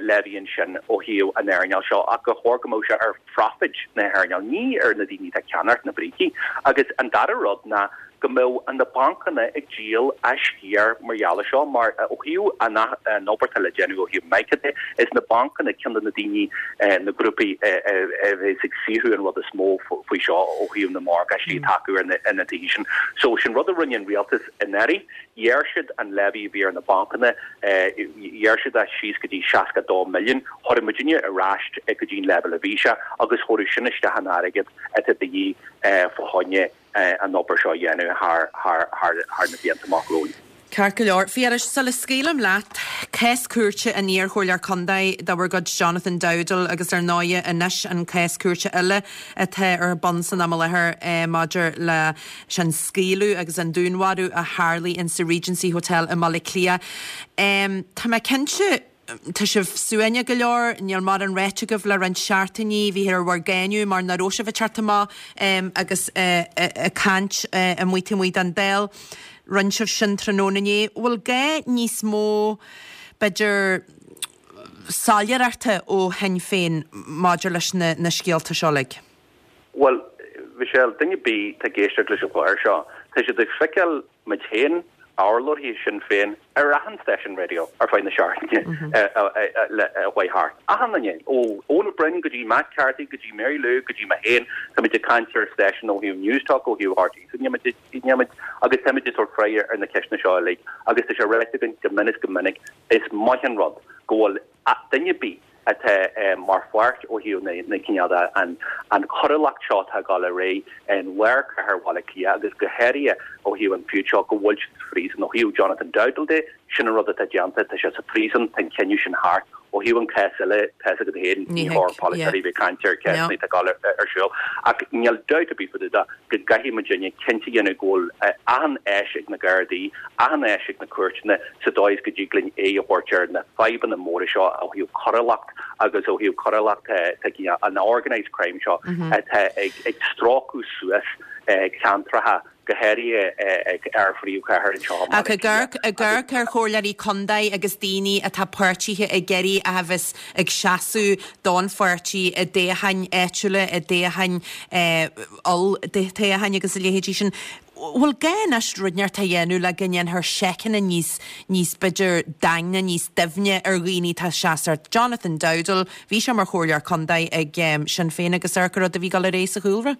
levy ansin ó thaobh an earnáil seo ach go chóir go mbeadh sé ar phroifid na hearnáil, ní ar na daoine atá ag ceannacht na brící. Agus an dara rud ná go mbeadh na bancanna ag díol a sciar mar gheall air seo mar ó thaobh an an obair atá le déanamh ó thaobh mica de, is na bancanna ceann de na daoine, na grúpaí a bheas ag saothrú an rud is mó faoi seo ó thaobh na morgáistí atá acu ar na ar na tithe sin. So sin rud a rinne an rialtas anuraidh, ghearr siad an levy a bhí ar na bancanna, ghearr siad é síos go dtí seasca dó milliún, chuir muidinne ar ais go dtí an leibhéal a bhí sé agus chuir sin isteach an airgead atá de dhíth fá choinne an obair seo a dhéanamh thar thar thar thar na blianta amach romhainn. Ceart go leor. Phiarais, sula scaoilim leat, cás cúirte an iarchomhairleoir contae de bhur gcuid Jonathan Dowdall agus ar ndóighe anois an cás cúirte eile atá ar bun san am i láthair maidir leis an scaoileadh agus an dúnmharú a tharlaigh in sa Regency Hotel i mBaile Átha Cliath. Tá mé cinnte Tá sibh suaimhneach go leor, níl mórán ráite agaibh le roinnt seachtainí, bhíthear ar bhur gcáineadh mar nach raibh sibh ag teacht amach agus ag caint amuigh taobh amuigh den Dáil. Rinne sibh sin tráthnóna inné. Bhfuil gá níos mó, b'fhéidir, soiléireachta ó Shinn Féin maidir leis na na scéalta seo uilig? Bhuel, Michelle, duine ar bith atá ag éisteacht leis an chlár seo, tá siad ag feiceáil muid féin, urlabhraithe Shinn Féin, ar achan stáisiún raidió ar feadh na seachtaine a chuaigh thart. Achan duine, ó Eoin Ó Broin go dtí Matt Carthy go dtí Mary Lou go dtí mé féin, táimid ag caint ar stáisiún ó thaobh Newstalk, ó thaobh RTÉ, so níl muid, níl muid, agus táimid ag tabhairt freagra ar na ceisteanna seo uilig agus tá sé ráite againn go minic is go minic, is maith an rud go bhfuil duine ar bith atá mar pháirt ó thaobh na cineál de an choiriúlacht seo atá ag dul ar aghaidh in lár cathair Bhaile Átha Cliath agus go háirithe ó thaobh an feud seo go bhfuil siad sa phríosún. Ó thaobh Jonathan Dowdall de, sin an rud atá déanta, tá sé sa phríosún, tá an cinneadh sin thart. Ó thaobh an cás eile, tá fhios agat féin, ní chóir polaiteoirí bheith ag caint ar chéasanna atá ag dul ar siúl. Ach níl dabht ar bith fá dtaobh de go gcaithfidh muidinne cinnte a dhéanamh go bhfuil achan áis ag na Gardaí, achan áis ag na cúirteanna sa dóigh is go dtig linn aghaidh a thabhairt ar na fadhbanna móra seo ó thaobh coiriúlacht agus ó thaobh coiriúlacht an organised crime seo atá ag stróiceadh suas ceantracha go háirithe ag ár phríomhchathair anseo i Ach ag amharc ar chomhairleoirí contae agus daoine atá páirtithe ag iarraidh a bheith ag seasamh don pháirtí i dtoghcháin áitiúla, i dtoghcháin olltoghcháin agus a leithéidí sin, bhfuil gá anois rud inteacht a dhéanamh le go ndéanfar seiceanna níos, níos b'fhéidir daingne, níos doimhne ar dhaoine atá ag seasamh? Jonathan Dowdall, bhí sé mar chomhairleoir contae ag Sinn Féin agus amharc ar an rud a bhí ag dul ar aghaidh sa chúlra.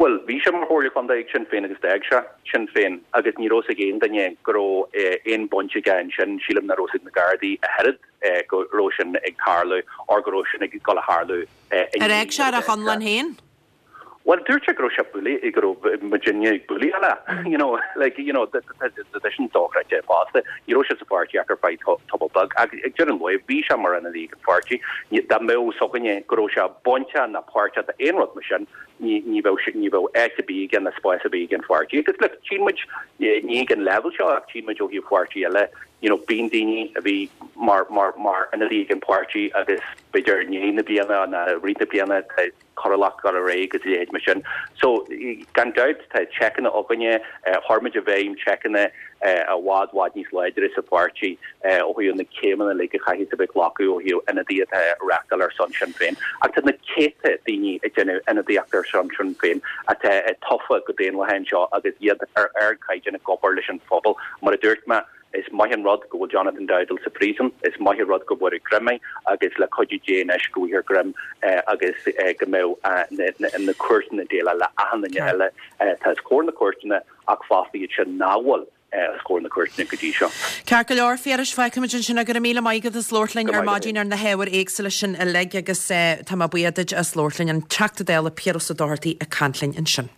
Bhuel, bhí sé mar chomhairleoir contae ag Sinn Féin agus d'fhág sé Sinn Féin agus ní raibh fhios ag aon duine go raibh aon bhaint aige ansin. Sílim nach raibh fhios ag na Gardaí a oiread go raibh sin ag tarlú or go raibh sin ag dul a tharlú Ar fhág sé ar a chonlán féin? Bhuel, dúirt sé go raibh sé bualadh, go raibh muidinne ag bualadh eile, you know, like, you know, tá sin dochreidte fosta. Ní raibh sé sa pháirtí ach ar feadh tamall beag ach ag deireadh an lae bhí sé mar ionadaí ag an pháirtí. Dá mbeadh fhios againne go raibh sé bainteach ná páirteach d'aon rud mar sin, ní ní bheadh ní bheadh áit ar bith aige ná spás ar bith ag an pháirtí. Agus look, tchíonn muid, ní ag an leibhéal seo ach tchíonn muid ó thaobh pháirtí eile, you know, bíonn daoine a bhí mar mar mar ionadaí ag an pháirtí agus b'fhéidir i ndiaidh na bliana nó i rith na bliana tá coiriúlacht ag dul ar aghaidh agus a leithéid mar sin. So, gan dabht, tá seiceanna againne, chuir muid i bhfeidhm seiceanna i bhfad, bhfad níos láidre sa pháirtí ó thaobh na céimeanna uilig a chaithfidh a bheith glacadh ó thaobh ionadaithe atá ag reachtáil ar son Sinn Féin. Ach tá na céadta daoine ag déanamh ionadaíocht ar son Sinn Féin atá tofa go daonlathach anseo agus iad ar ardchaighdeán ag obair leis an phobal. Mar a dúirt mé, Is maith an rud go bhfuil Jonathan Dowdall sa phríosún, is maith an rud go bhfuair greim é agus le cuidiú Dé anois go bhfaighfear greim agus go mbeidh na cúirteanna ag déileáil le achan duine eile atá os comhair na cúirteanna ach fosta iad sin nach bhfuil os comhair na cúirteanna go dtí seo. Ceart go leor, Phiarais, fágfaimid ansin é. Go raibh míle maith agat as labhairt linn ar maidin ar na hábhair éagsúla sin uilig agus tá mé buíoch duit as labhairt linn. An Teachta Dála Piaras Ó Dochartaigh ag caint linn ansin.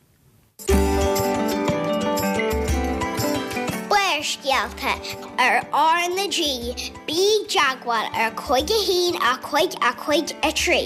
Barrscéalta ar R na G, bí i dteagmháil ar cúig a haon a cúig a cúig a trí.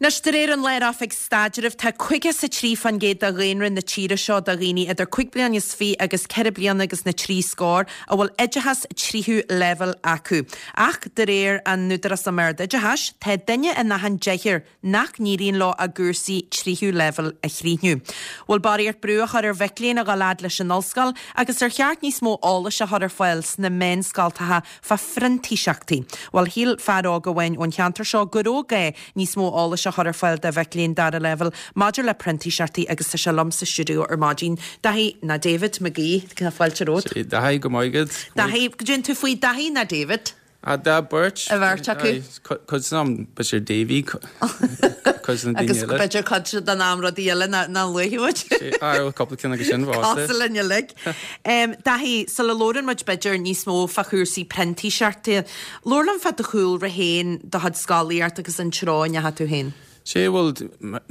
Anois, de réir an Lár-Oifig Staidrimh, tá caoga is a trí fán gcéad de dhaonra na tíre seo, de dhaoine idir cúig bliana is fiche agus ceithre bliana agus na trí scór, a bhfuil oideachas tríú leibhéal acu. Ach, de réir an Údarás um Ard-Oideachais, tá duine in achan deichniúr nach n-éiríonn leo a gcúrsaí tríú leibhéal a chríochnú. Bhfuil barraíocht brú á chur ar mhic léinn a dhul fhad leis an ollscoil agus ar cheart níos mó eolais a chur ar fáil sna meánscoltacha fá phrintíseachtaí? Bhuel, shíl fear óg amháin ón cheantar seo go raibh gá níos mó eolais a chur ar fáil do mhic léinn dara leibhéal maidir le printíseachtaí agus tá sé liom sa stiúideo ar maidin. Daithí ná David McGee, tá fáilte romhat. Daithí, go maith agat. Daithí, goidé tú faoi Daithí ná David? Ah, dá beirt. A bheirt acu. Cuid den am, b'fhéidir Davy, cuid de na daoine Agus eile. b'fhéidir cuid den am rudaí eile ná ná luaigh muid. Ah, bhuel, cúpla ceann acu sin fosta. Cosúil linn uilig. Daithí, sula labhrann muid b'fhéidir níos mó fá chúrsaí printíseachta, labhair liom fá do chúlra féin, do chuid scolaíocht agus an treo a ndeachaigh tú féin. Sé, bhuel,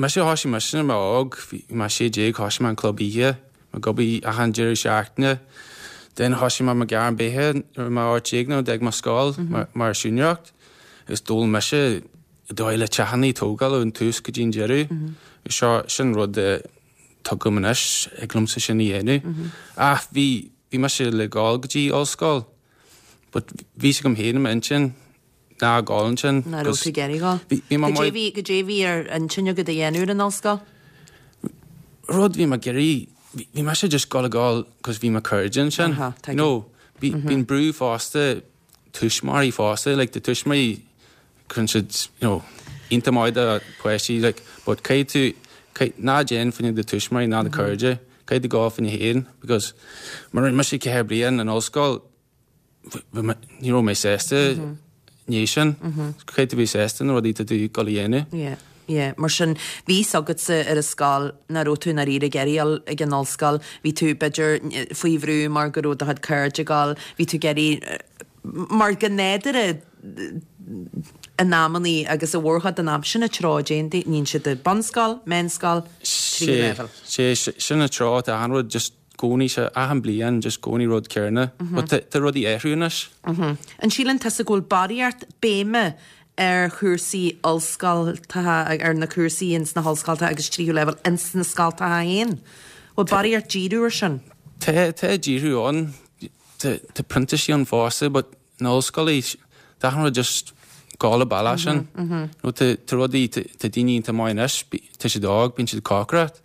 mise, thosaigh mise nuair a bhí mé óg, bhí mé sé déag, thosaigh mé an club oíche. Ag obair achan deireadh seachtaine. Then thosaigh mé mo ghairm beatha nuair a bhí mé ocht déag nuair a d'fhág mé scoil mar siúinéireacht agus d'fhoghlaim mise dóigh le teachanna a tógáil ón tús go dtí an deireadh. Agus seo, sin rud a tuigim anois, thig liomsa sin a dhéanamh. Ach bhí, bhí mise le gabháil go dtí ollscoil but bhí fhios agam féin i m'intinn ná gabháil ansin. Nach raibh tú ag iarraidh gabháil? Bhí, bhí mé Goidé bhí, goidé bhí ar intinn agat a dhéanamh ar an ollscoil? Rud bhí mé ag iarraidh, bhí mise just gabháil a ghabháil cos bhí mo cairde ansin. Aha, You know, Bíonn brú fosta tuismitheoirí fosta, like, do tuismitheoirí cuireann siad, you know, iontach maith do páistí, like, but caithfidh tú, ná déan fá choinne do tuismitheoirí ná do cairde, caithfidh tú gabháil fá choinne féin, because mar rinne mise ceithre bliain in ollscoil, ní raibh mé sásta ní sin, caithfidh tú bheith sásta na rudaí atá tú ag dul a dhéanamh. Yeah. Yeah, mar sin, bhí fhios agatsa ar an scoil nach raibh tú i ndáiríre ag iarraidh dul ag an ollscoil, bhí tú b'fhéidir faoi bhrú mar go raibh do chuid cairde ag dul, bhí tú ag iarraidh, mar go nádúrtha in amannaí agus i mórchuid den am, sin an treo a dtéann, níonn siad i bunscoil, meánscoil, tríú leibhéal. Sé, sin an treo atá achan rud, just gcónaí sé, achan bliain, just gcónaí rud céanna. But tá rudaí athrú anois. An síleann tusa go bhfuil barraíocht béime ar chúrsaí ollscoltacha, ar na cúrsaí ins na hollscoltacha agus tríú leibhéal ins na scoltacha féin? Bhfuil barraíocht díriú ar sin? Tá, tá díriú ann. Tá, tá printísigh ann fosta, but na ollscoileanna, tá achan rud just gabháil an bealach sin. Nó tá, tá rudaí, tá, tá daoine iontach maith anois, tá siad óg, bíonn siad ag cócaireacht.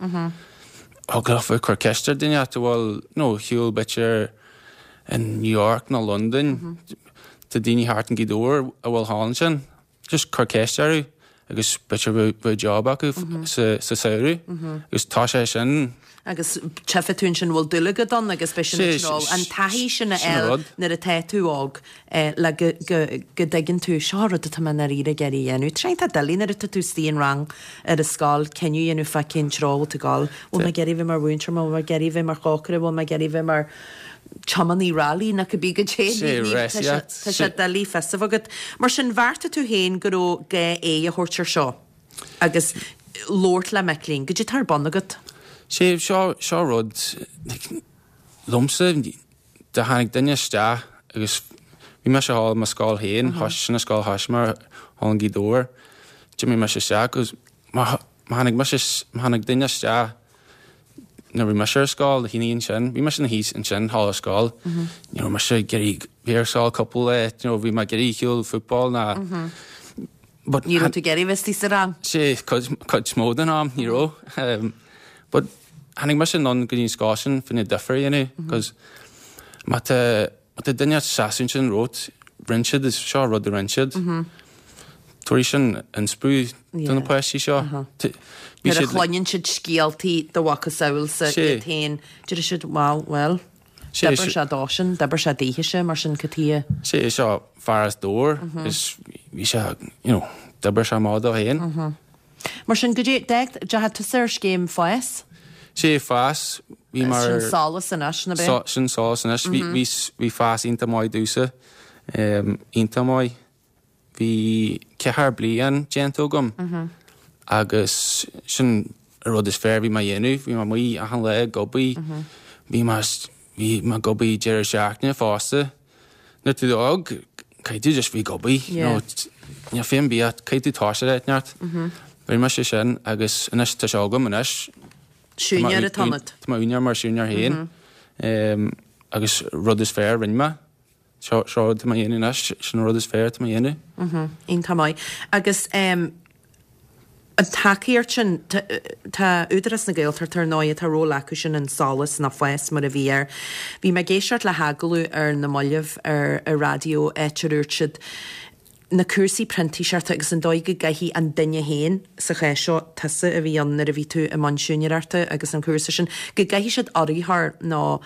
Thig leofa cur ceist ar duine a bhfuil, nó shiúl b'fhéidir in New York nó Londain, tá daoine thart in Gaoth Dobhair a bhfuil thall ansin, just cur ceist orthu agus b'fhéidir bheadh job acu sa sa samhradh agus tá sé sin. Agus tchífidh tú ansin bhfuil dúil agat ann agus beidh sin ag treo an taithí sin a fháil nuair atá tú óg le go go go dtuigeann tú seo rud atá mé i ndáiríre ag iarraidh a dhéanamh. Tá sé iontach doiligh nuair atá tú istigh in rang ar an scoil cinneadh a dhéanamh fá cén treo a bhfuil tú ag dul. Bhfuil mé ag iarraidh bheith mar mhúinteoir, bhfuil mé ag iarraidh bheith mar chócaire, bhfuil mé ag iarraidh bheith mar tiománaí railí nó cibé goidé. Tá sé doiligh fios a bheith agat. Mar sin bheartaigh tú féin go raibh gá aghaidh a thabhairt ar seo agus labhairt le mic léinn. Goidé atá ar bun agat? Sé seo seo rud liomsa do tháinig duine isteach agus bhí mise thall i mo scoil féin, sin an scoil thoisigh mé thall in Gaoth Dobhair. D'imigh mise isteach agus má tháinig mise má tháinig duine isteach nuair bhí mise ar scoil, na haoine ansin, bhí mise ina shuí ansin thall ar scoil, ní raibh mise ag iarraidh bheith ar scoil cúpla lá, you know, bhí mé ag iarraidh shiúl football ná But ní raibh tú ag iarraidh bheith istigh sa rang? Sé, cuid, cuid mó den am, ní raibh. But tháinig mise anonn go dtí an scoil sin fá choinne difear a dhéanamh, cos má tá, má tá duine ag seasamh ansin romhat, rinne siad, is seo rud a rinne siad. Tabharfaidh sin inspú do na páistí seo. Nuair a chluineann siad scéaltaí do mhacasamhailsa iad féin, déarfaidh siad, wow, bhuel, d'oibir sé dósan, d'oibir sé daoithese, mar sin cad chuige. Sé seo fear as Dobhar, is bhí sé, you know, d'oibir sé amach dó féin. Mar sin, goidé, d'fhág tusa ar scéim FÁS? Sé FÁS, bhí mar. Sin SOLAS anois, ná b'é? Sin SOLAS anois, bhí FÁS iontach maith domhsa, iontach maith. Bhí ceathair bliain déanta agam agus sin an rud is fearr a bhí mé a dhéanamh. Bhí mé amuigh achan lá ag obair. Bhí mé bhí mé ag obair deireadh seachtaine fosta. Nuair tú óg, caithfidh tú just bheith ag obair. You know, níl feidhm bia, caithfidh tú toiseacht ar neart. Rinne mise sin agus anois tá sé agam anois. Siúinéir atá ionat. Tá mé úinéir mar siúinéir féin. Agus rud is fearr a rinne mé. Seo seo rud atá mé a dhéanamh anois, sin an rud is fearr atá mé a dhéanamh. Iontach maith. Agus an tacaíocht sin, tá Údarás na Gaeltachta ar ndóigh, tá ról acu sin in SOLAS nó FÁS mar a bhí air. Bhí mé ag éisteacht le hagallamh ar na mallaibh ar an raidió áit a dúirt siad, na cúrsaí printíseachta agus an dóigh go gcaithfidh an duine féin, sa chás seo tusa a bhí ann nuair a bhí tú i mbun siúinéireachta agus an cúrsa sin, go gcaithfidh siad urraitheoir nó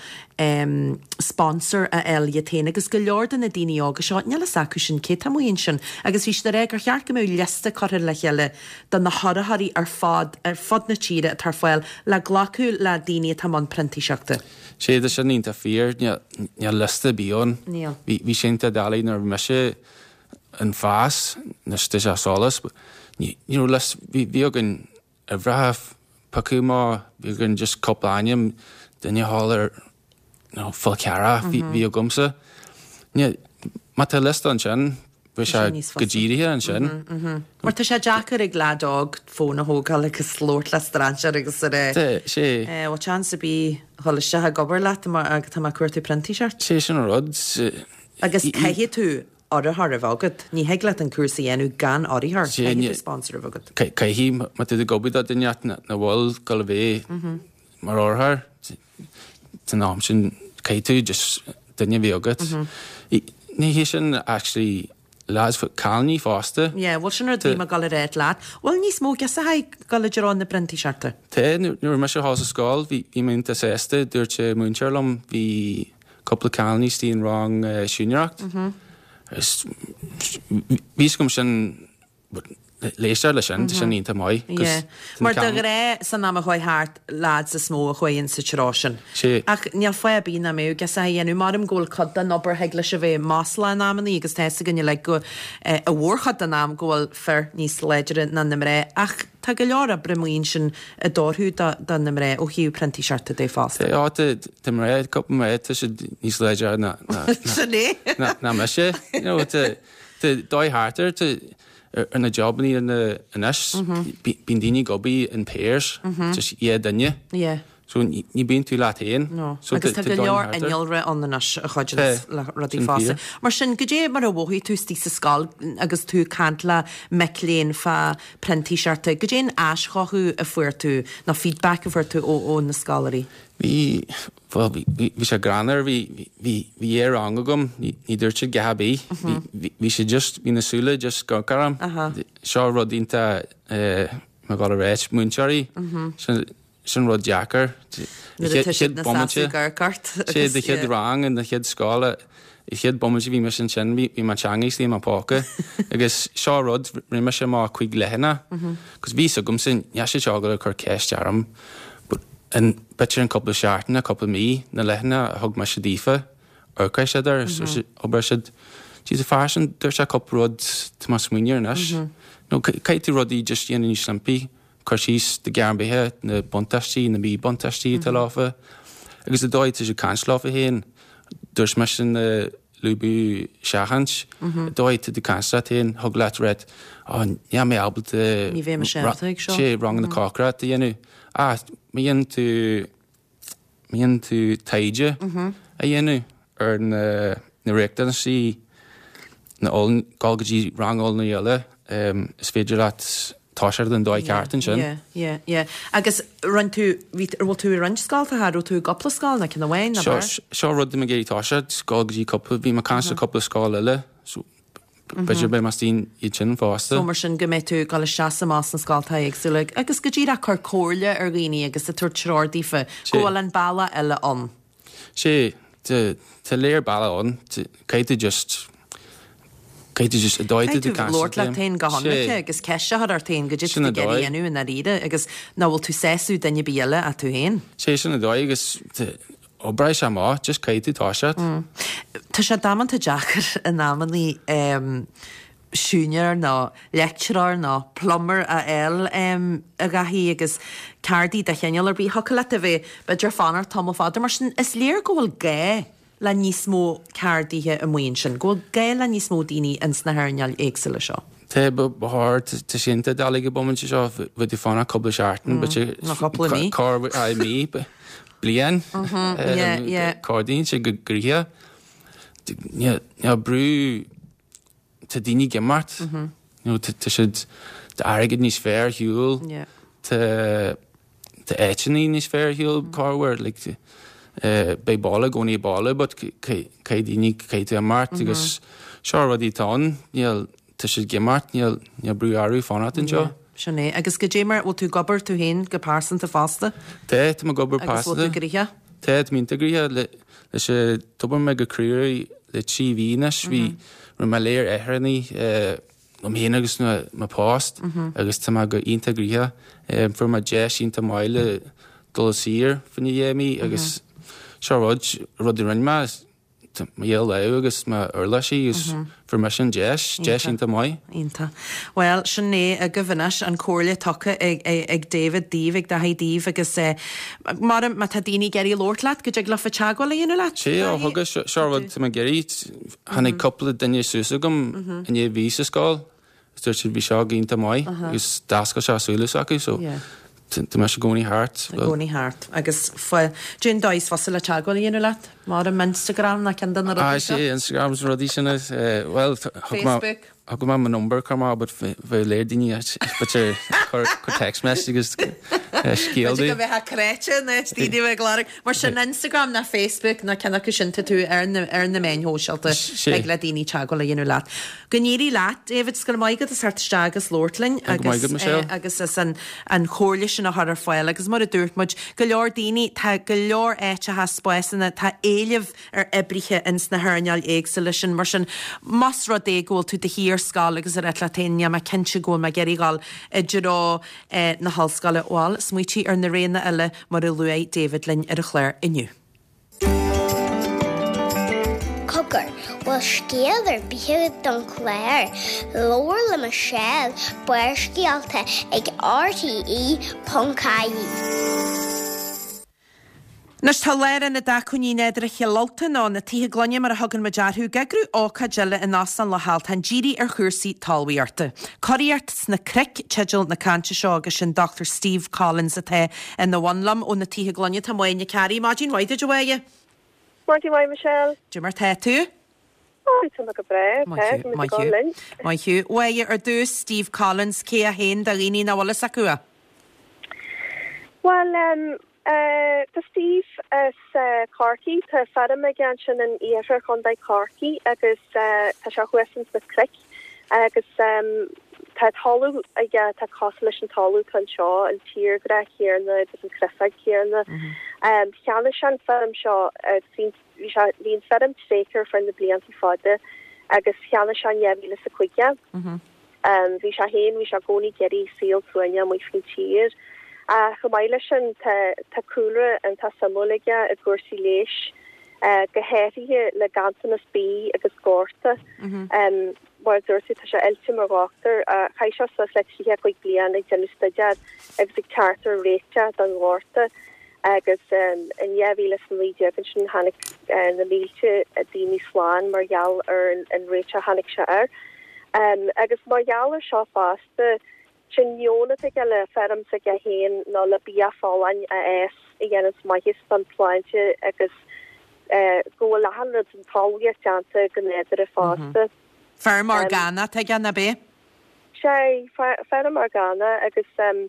sponsor a fháil iad féin agus go leor de na daoine óga seo, níl fhios acu sin cé tá amuigh ansin agus bhí siad ag rá gur cheart go mbeadh liosta curtha le chéile de na hurraitheoirí ar fad ar fud na tíre atá ar fáil le glacadh le daoine atá i mbun printíseachta. Sé, tá sin iontach fíor, níl liosta ar bith ann. Níl. Bhí sé iontach doiligh nuair a bhí mise in FÁS, anois tá sé SOLAS, ní raibh liosta, bhí bhí againn uimhreacha piocadh amach, bhí againn just cúpla ainm, duine thall ar you know, Fál Carrach bhí bhí agamsa. Ní, má tá liosta ansin, bheadh sé go dírithe ansin. Mar tá sé deacair ag leaid óg fón a thógáil agus labhairt le strainséir agus a rá, Tá sé. bhfuil seans ar bith dhul isteach ag obair leat mar tá mé ag cuartú printíseacht. Sé sin an rud. Agus caithfidh tú urraitheoir a bheith agat. Ní thig leat an cúrsa a dhéanamh gan urraitheoir. Caithfidh tú sponsor a bheith agat. Caithfidh, má tá tú ag obair do duine nach bhfuil ag gabháil a bheith mar urraitheoir, san am sin caithfidh tú just duine a bhí agat. Ní hé sin actually lads cailíní fosta. Yeah, bhuel sin rud a bhí mé ag dul a ráit leat. Bhfuil níos mó girseachaí ag dul i dtreo na bprintíseachta? Tá, nuair a mise thall sa scoil, bhí bhí mé iontach sásta, dúirt an múinteoir liom, bhí cúpla cailíní istigh in rang siúinéireacht. Agus bhí fhios agam sin Éisteacht leis sin, tá sin iontach maith. Yeah. Mar de ghnáth san am a chuaigh thart, lads is mó a chuaigh in sa treo sin. Sea. Ach níl fáth ar bith nach mbeadh girseacha á dhéanamh. Maram go bhfuil cuid den obair thig leis a bheith maslach in amannaí agus tá fhios againn uilig go, i mhórchuid den am go bhfuil fir níos láidre ná na mná. Ach tá go leor oibre amuigh ansin ag dorchú do, do na mná ó thaobh printíseachta de fosta. Tá, tá, tá mná, cúpla mná, tá siad níos láidre ná, ná, Sin é. ná, ná mise. You know, tá, tá dóigh thart air, tá, ar na jobannaí anois, bíonn daoine ag obair in pairs, just dhá duine. Yeah. So ní bíonn tú leat féin. No. Agus tá go leor innealra ann anois a chuidíonns le rudaí fosta. Mar sin, goidé mar a mhothaigh tú istigh sa scoil agus tú ag caint le mic léinn fá printíseachta, goidé an aischothú a fuair tú, nó feedback a fuair tú ó na scoláirí? Bhí, bhuel, bhí, bhí, bhí sé greannmhar, bhí, bhí, bhí dhá rang agam, ní, ní dúirt siad a dhath ar bith, bhí, bhí, bhí siad just, bhí na súile just ag amharc orm. Seo rud iontach, eh, mar gheall ar ráit, múinteoirí, sin, sin rud deacair. Nuair atá siad ina seasamh ag amharc ort. Sé do chéad rang in do chéad scoil, an chéad bomaite a bhí mise ansin, bhí, bhí mo teanga istigh i mo póca. Agus seo rud, rinne mise mo cúig leathanach, cos bhí fhios agamsa, níl siad seo ag dul a cur ceist orm. But in b'fhéidir in cúpla seachtain, cúpla mí, na leathanaigh a thug mise daofa, amharc siad air, abair siad, Jeez, an fear sin, dúirt sé cúpla rud, tá mé ag smaoineamh air anois. Nó caithfidh tú rudaí just a dhéanamh níos simplí, cur síos do ghearr beithe, na buntáistí, na míbhuntáistí atá leofa. Agus an dóigh atá tú ag caint leofa féin, dúirt mise na lúbadh seachaint, an dóigh atá tú ag caint leat féin, thig leat ráit, Ó, níl mé ábalta Ní bheidh mise ábalta ag seo. sé ranganna cócaireachta a dhéanamh. Ach má dhéanann tú, má dhéanann tú taighde a dhéanamh ar na, na riachtanaisí, na oll, dul go dtí rang oiliúna eile, is féidir leat toiseacht an dóigh ceart ansin. Yeah, yeah, yeah. Agus rinne tú, bhí, bhfuil tú i roinnt scoltacha, raibh tú i gcúpla scoil nó ceann amháin nó Seo, beirt? seo rud tá mé ag iarraidh toiseacht, dul go dtí cúpla, bhí mé ag caint le cúpla scoil eile, so b'fhéidir beidh mé istigh iad sin fosta. So mar sin go mbeidh tú ag dul isteach is amach sna scoltacha éagsúla agus go díreach ag cur comhairle ar dhaoine agus ag tabhairt treoir daofa go bhfuil an bealach eile ann. Sé, tá, tá léir bealach ann, caithfidh tú just, caithfidh tú just, an dóigh Caithfidh tú tú caint labhairt leat féin go Sé. hionraice agus ceist a chur ort féin goidé Sin tú an ag iarraidh dóigh. a dhéanamh i ndáiríre agus nach bhfuil tú sásamh duine ar bith eile ach tú féin. Sé sin an dóigh agus oibreoidh sé amach, just caithfidh tú toiseacht. Tá sé damanta deacair in amannaí siúinéir nó leictreoir nó plumber a fháil a Dhaithí agus ceardaí de chineál ar bith. Thiocfadh leat a bheith b'fhéidir fanacht tamall fada mar sin is léir go bhfuil gá le níos mó ceardaithe amuigh ansin, go bhfuil gá le níos mó daoine ins na hearnáil éagsúla seo. Tá, ba chóir, tá sé iontach doiligh an bomaite seo, bheith ag fanacht cúpla seachtain, b'fhéidir Nó cúpla mí. Corr, aye, mí, bliain. Yeah, yeah. Cordaíonn sé go gnoitheach. Níl brú, tá daoine ag imeacht, nó tá siad, tá airgead níos fearr ar shiúl, tá tá áiteanna níos fearr ar shiúl, corruair, like, beidh baile i gcónaí baile, but caithfidh daoine, caithfidh tú imeacht agus seo rudaí atá ann, níl, tá siad ag imeacht, níl, níl brú orthu fanacht anseo. Yeah, sin é. Agus goidé mar, bhfuil tú ag obair tú féin go pearsanta fosta? Tá, tá mé ag obair Agus bhfuil tú pearsanta. gnoitheach? Tá, tá mé iontach gnoitheach le, leis an, d'obair mé go crua le trí mhí anois, bhí, rinne mé léir athraithe liom féin agus na, mo post agus tá mé go iontach gnoitheach. Fuair mé deis iontach maith le dul saor fá choinne dhá mí agus seo rud, rud a rinne mé, mo dhá lámh agus m'uirlisí agus fuair mise an deis, deis iontach maith. Iontach. Bhuel, sin é agaibh anois, an comhairle tugtha ag, ag David daoibh, ag Daithí daoibh agus mar má tá daoine ag iarraidh labhairt leat, go dtig leofa teagmháil a dhéanamh leat? Sé, ó thugas, seo rud tá mé ag iarraidh, tháinig cúpla duine suas agam i ndiaidh bhí sa scoil, agus dúirt siad bhí seo go iontach maith agus d'oscail sé súile s'acu so tá mise i gcónaí thart. I gcónaí thart. Agus cén dóigh is fusa le teagmháil a dhéanamh leat? Mar an Instagram ná ceann de na rudaí seo? Sea, Instagram is na rudaí sin. Bhuel, thug mé. Facebook? Thug mé mo number chur amach but bheadh léir daoine b'fhéidir cur cur text message agus scéal B'fhéidir go mbeifeá creidte na daoine a bheith ag lorg. Mar sin Instagram ná Facebook ná ceann acu sin tá tú ar na ar na meáin shóisialta ag le daoine teagmháil a dhéanamh leat. Go n-éirí leat, David, 's go raibh maith agat as theacht isteach agus labhairt linn agus agus as an an chomhairle sin a chur ar fáil agus mar a dúirt muid, go leor daoine, tá go leor áiteacha spásanna, tá éileamh ar oibrithe ins na hearnáil éagsúla sin. Mar sin, más rud é go bhfuil tú do shuí ar scoil agus ag rá leat féin, níl mé cinnte go bhfuil mé ag iarraidh dhul i dtreo na hollscoile, bhuel, smaoitigh ar na roghanna eile mar a luaigh David linn ar an chlár inniu. Cogar, bhfuil scéal ar bith agat don chlár? Labhair le Michelle, Barrscéalta ag rte ponc ie. Anois tá Lárionad Acmhainní Nádúrtha Chill Ultain, nó na Tithe Gloine mar a thugann muid orthu, ag eagrú ócáid eile in Óstán Loch Altan dírithe ar chúrsaí talmhaíochta. Curaíocht sna Cnoic teideal na cainte seo agus sin Dochtúir Steve Collins atá ina bhun liom ó na Tithe Gloine. Tá Máire Nic Fhearraigh. Maidin mhaith duit a Mháire. Maidin mhaith Michelle. Cad é mar tá tú? Ó, tá mé go breá, tá, tá mé go linn. Maith thú. Mháire, ar dtús Steve Collins, cé é féin do dhaoine nach bhfuil fhios acu é? Bhuel, em, eh, tá Steve as eh, Corcaigh, tá feirm aige ansin in iarthar Chontae Chorcaí agus eh, tá sé thuas ins na cnoic agus em, tá talamh aige atá cosúil leis an talamh atá anseo, an tírdhreach céanna agus an chreafag céanna. Em, cheannaigh sé an feirm seo agus bhí bhí sé bhí an feirm tréigthe ar feadh na blianta fada agus cheannaigh sé in dhá mhíle is a cúig déag. Um, bhí sé féin, bhí sé i gcónaí ag iarraidh saol suaimhneach amuigh faoin tír. Ach chomh maith leis sin tá tá cúlra iontach suimiúil aige i gcúrsaí leighis, eh, go háirithe le ganntanas bídh agus gorta. Um, mar a dúirt tú, tá sé oilte mar dhochtúir. Chaith sé suas le tríocha cúig bliain ag déanamh staidéar agus ag teacht ar réiteach don ghorta agus um, in dhá mhíle is a naoi déag ansin tháinig eh, na mílte daoine slán mar gheall ar an, an réiteach a tháinig sé air. Um, agus mar gheall ar seo fosta, sin meon atá aige le feirm s'aige féin nó le bia folláin a fhás a dhéananns maitheas don tsláinte agus eh, go bhfuil achan rud an talmhaíocht déanta go nádúrtha fosta. Feirm orgánach atá aige, ab ea? Sé, feirm orgánach agus um,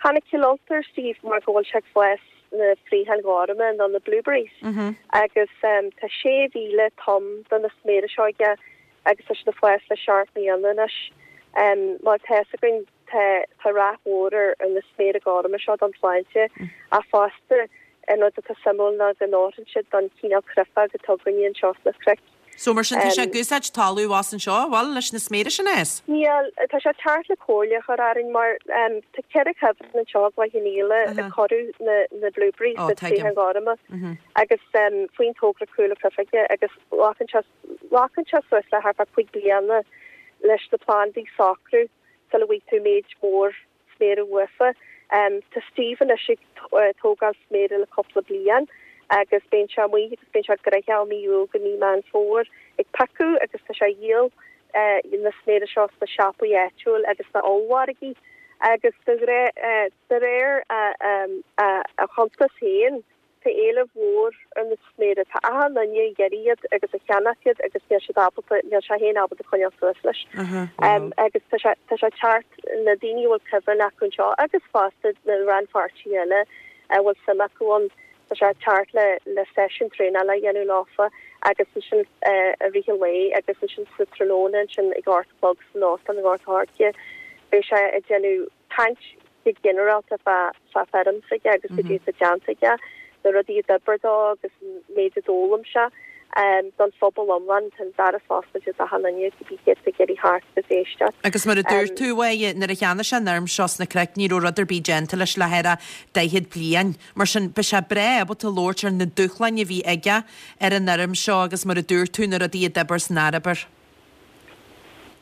tháinig Cill Ulta ar Steve mar go bhfuil sé ag fás na fraocháin ghorma nó na blueberries mm -hmm. agus um, tá sé mhíle tom de na sméara seo aige agus tá siad ag fás le seacht mbliana anois. Um, mar tá a fhios againn tá tá rath mhór ar ar na sméara gorma seo don tsláinte mm. ach fosta an rud atá suimiúil ná go n-oireann siad don chineál creafag atá againne anseo sna cnoic. So mar sin tá sé ag úsáid talamh as anseo, bhfuil leis na sméara sin a fhás? Níl, tá sé thart le comhairle a chur orainn mar um, tá ceithre cuibhreann anseo i gCloich Cheann Fhaola a cuireadh na, na blueberries oh, na fraocháin ghorma mm -hmm. agus um, faoin togra Cúla Cruifige agus glacann sé glacann sé suas le thart fá cúig bliana leis na plandaí socrú sula bhfaighidh tú méid mór sméara uafa. Um, tá Steve anois ag tógáil sméara le cúpla bliain agus bíonn sé amuigh agus bíonn sé gnoitheach ó mí Iúil go mí Meán Fómhair ag piocadh agus tá sé ag díol uh, na sméara seo sna siopaí áitiúil agus na ollmhargaí agus de réir de réir a a chuntas féin tá éileamh mhór ar na sméara tá achan duine ag iarraidh iad agus a cheannach iad agus níl siad ábalta níl sé féin ábalta coinneáil suas leis. Um, agus tá sé tá sé teacht na daoine bhfuil cuibhreann acu anseo agus fosta na rannpháirtithe eile a bhfuil suim acu ann tá sé teacht le le seisiún traenála a dhéanamh leofa agus ansin i rith an lae agus ansin sa tráthnóna ansin ag a hocht a chlog san óstán i nGort an Choirce beidh sé ag déanamh caint go ginearálta fá fá feirm s'aige agus go dtí sa déanta aige na rudaí a d'oibir dó agus an méid a d'fhoghlaim sé um, don phobal iomlán tá an doras oscailte d'achan duine go bí céad ag iarraidh theacht agus éisteacht. Agus mar a dúirt tú uaidh nuair a cheannaigh sé an fheirm seo sna cnoic ní raibh rud ar bith déanta leis le thart ar daichead bliain. Mar sin beidh sé breá ábalta labhairt ar na dúshláin a bhí aige ar an fheirm seo agus mar a dúirt tú na rudaí a d'oibir is nár oibir.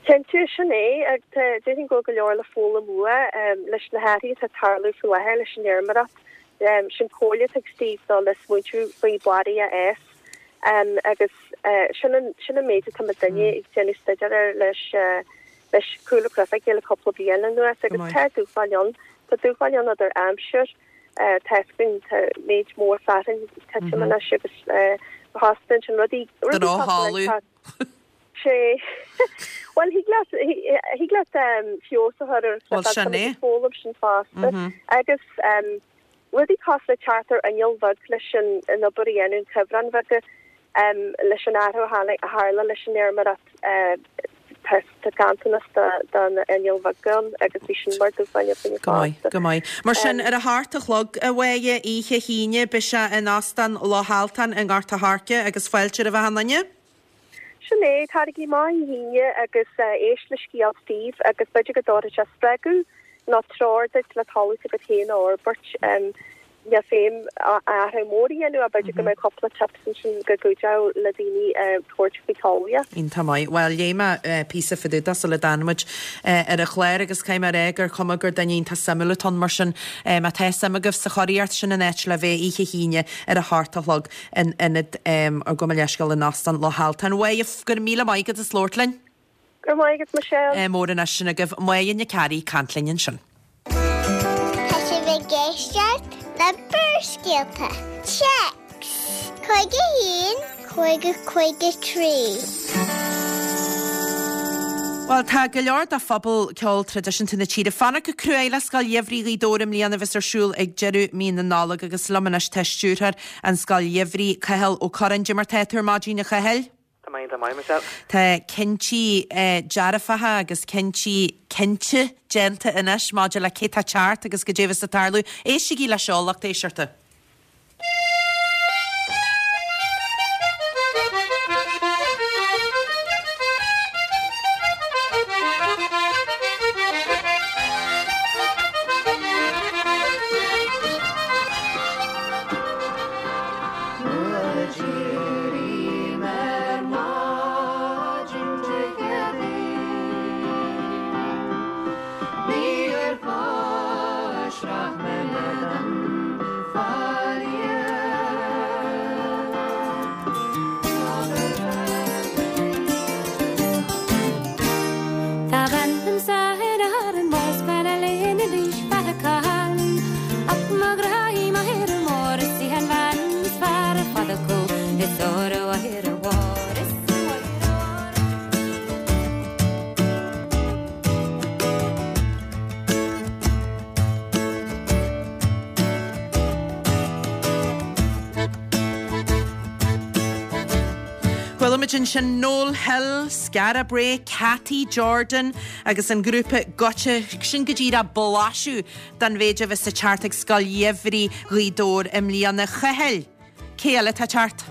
Cinnte sin é ag déarfainn go go leor le foghlaim uaidh um, leis na hathruithe atá ag tarlú faoi láthair leis an fheirmeoireacht. Um, sin comhairle ag Steve ná le smaointiú faoi barraí a fhás. Um, agus uh, sin an sin an méid atá duine ag déanamh staidéar air leis uh, leis Cúla Cruifige le cúpla bliain anuas agus tá dúshláin ann tá dúshláin ann idir aimsir uh, teascann tá méid mór fearthainn titim anois agus uh, hostan sin rudaí Drochthalamh. sé Bhuel, thig leat, thig leat feabhas a chur ar Bhuel, sin é. Foghlaim sin fosta. Agus rudaí cosúil le teacht ar inneall bheag leis an an obair a dhéanamh, an cuibhreann bheaga, leis an athrú a tharla leis an fheirmeoireacht, tá ganntanas de na innill bheaga ann agus bhí sin mar dúshlán againne Go maith, fosta. go maith. Mar sin, ar a hocht a chlog, a Mháire, oíche hAoine, beidh sé in Óstán Loch Altan i nGort a' Choirce agus fáilte roimh achan duine. Sin é, taraigí amach oíche hAoine agus éist le scéal Steve agus b'fhéidir go dtabharfaidh sé spreagadh nó treoir duit le talamh s'agat féin a fhorbairt. Níl feidhm athrú mór a dhéanamh ach b'fhéidir go mbeidh cúpla tips ansin go gcuideodh le daoine tabhairt faoi talmhaíocht. Iontach maith. Bhuel, léigh mé píosa fá dtaobh de sula dtáinig muid ar an chlár agus caithfidh mé a rá gur cuma gur duine iontach suimiúil atá ann mar sin má tá suim agaibh sa churaíocht, sin an áit le bheith oíche hAoine ar a hocht a chlog in ionad gabh mo leithscéal in Óstán Loch Altan. Mháire, go raibh míle maith agat as labhairt linn. Go raibh maith agat, Michelle. Mór anois sin agaibh. Máire Nic Fhearraigh ag caint linn ansin. Tá sibh ag éisteacht le Barrscéalta. Téacs cúig a haon, cúig a cúig a trí. Bhuel, tá go leor de phobal ceol traidisiúnta na tíre ag fanacht go cruaidh le Scoil Gheimhridh Ghaoth Dobhair i mbliana a bheas ar siúl ag deireadh mí na Nollag agus liom anois tá stiúrthóir an Scoil Gheimhridh, Cathal Ó Curráin. Cad é mar tá tú ar maidin, a Chathail? Tá mé iontach maith, Michelle. Tá cinntí dearfacha agus cinntí cinnte déanta anois maidir le cé tá ag teacht agus goidé a bheas ag tarlú. Éistigí leis seo, lucht éisteachta. Chuala muid ansin Noel Hill, Skara Brae, Cathy Jordan agus an grúpa Goitse. Sin go díreach blaiseadh den mhéid a bheas ag teacht ag Scoil Gheimhridh Ghaoth Dobhair i mbliana. Chathail, cé eile atá ag teacht?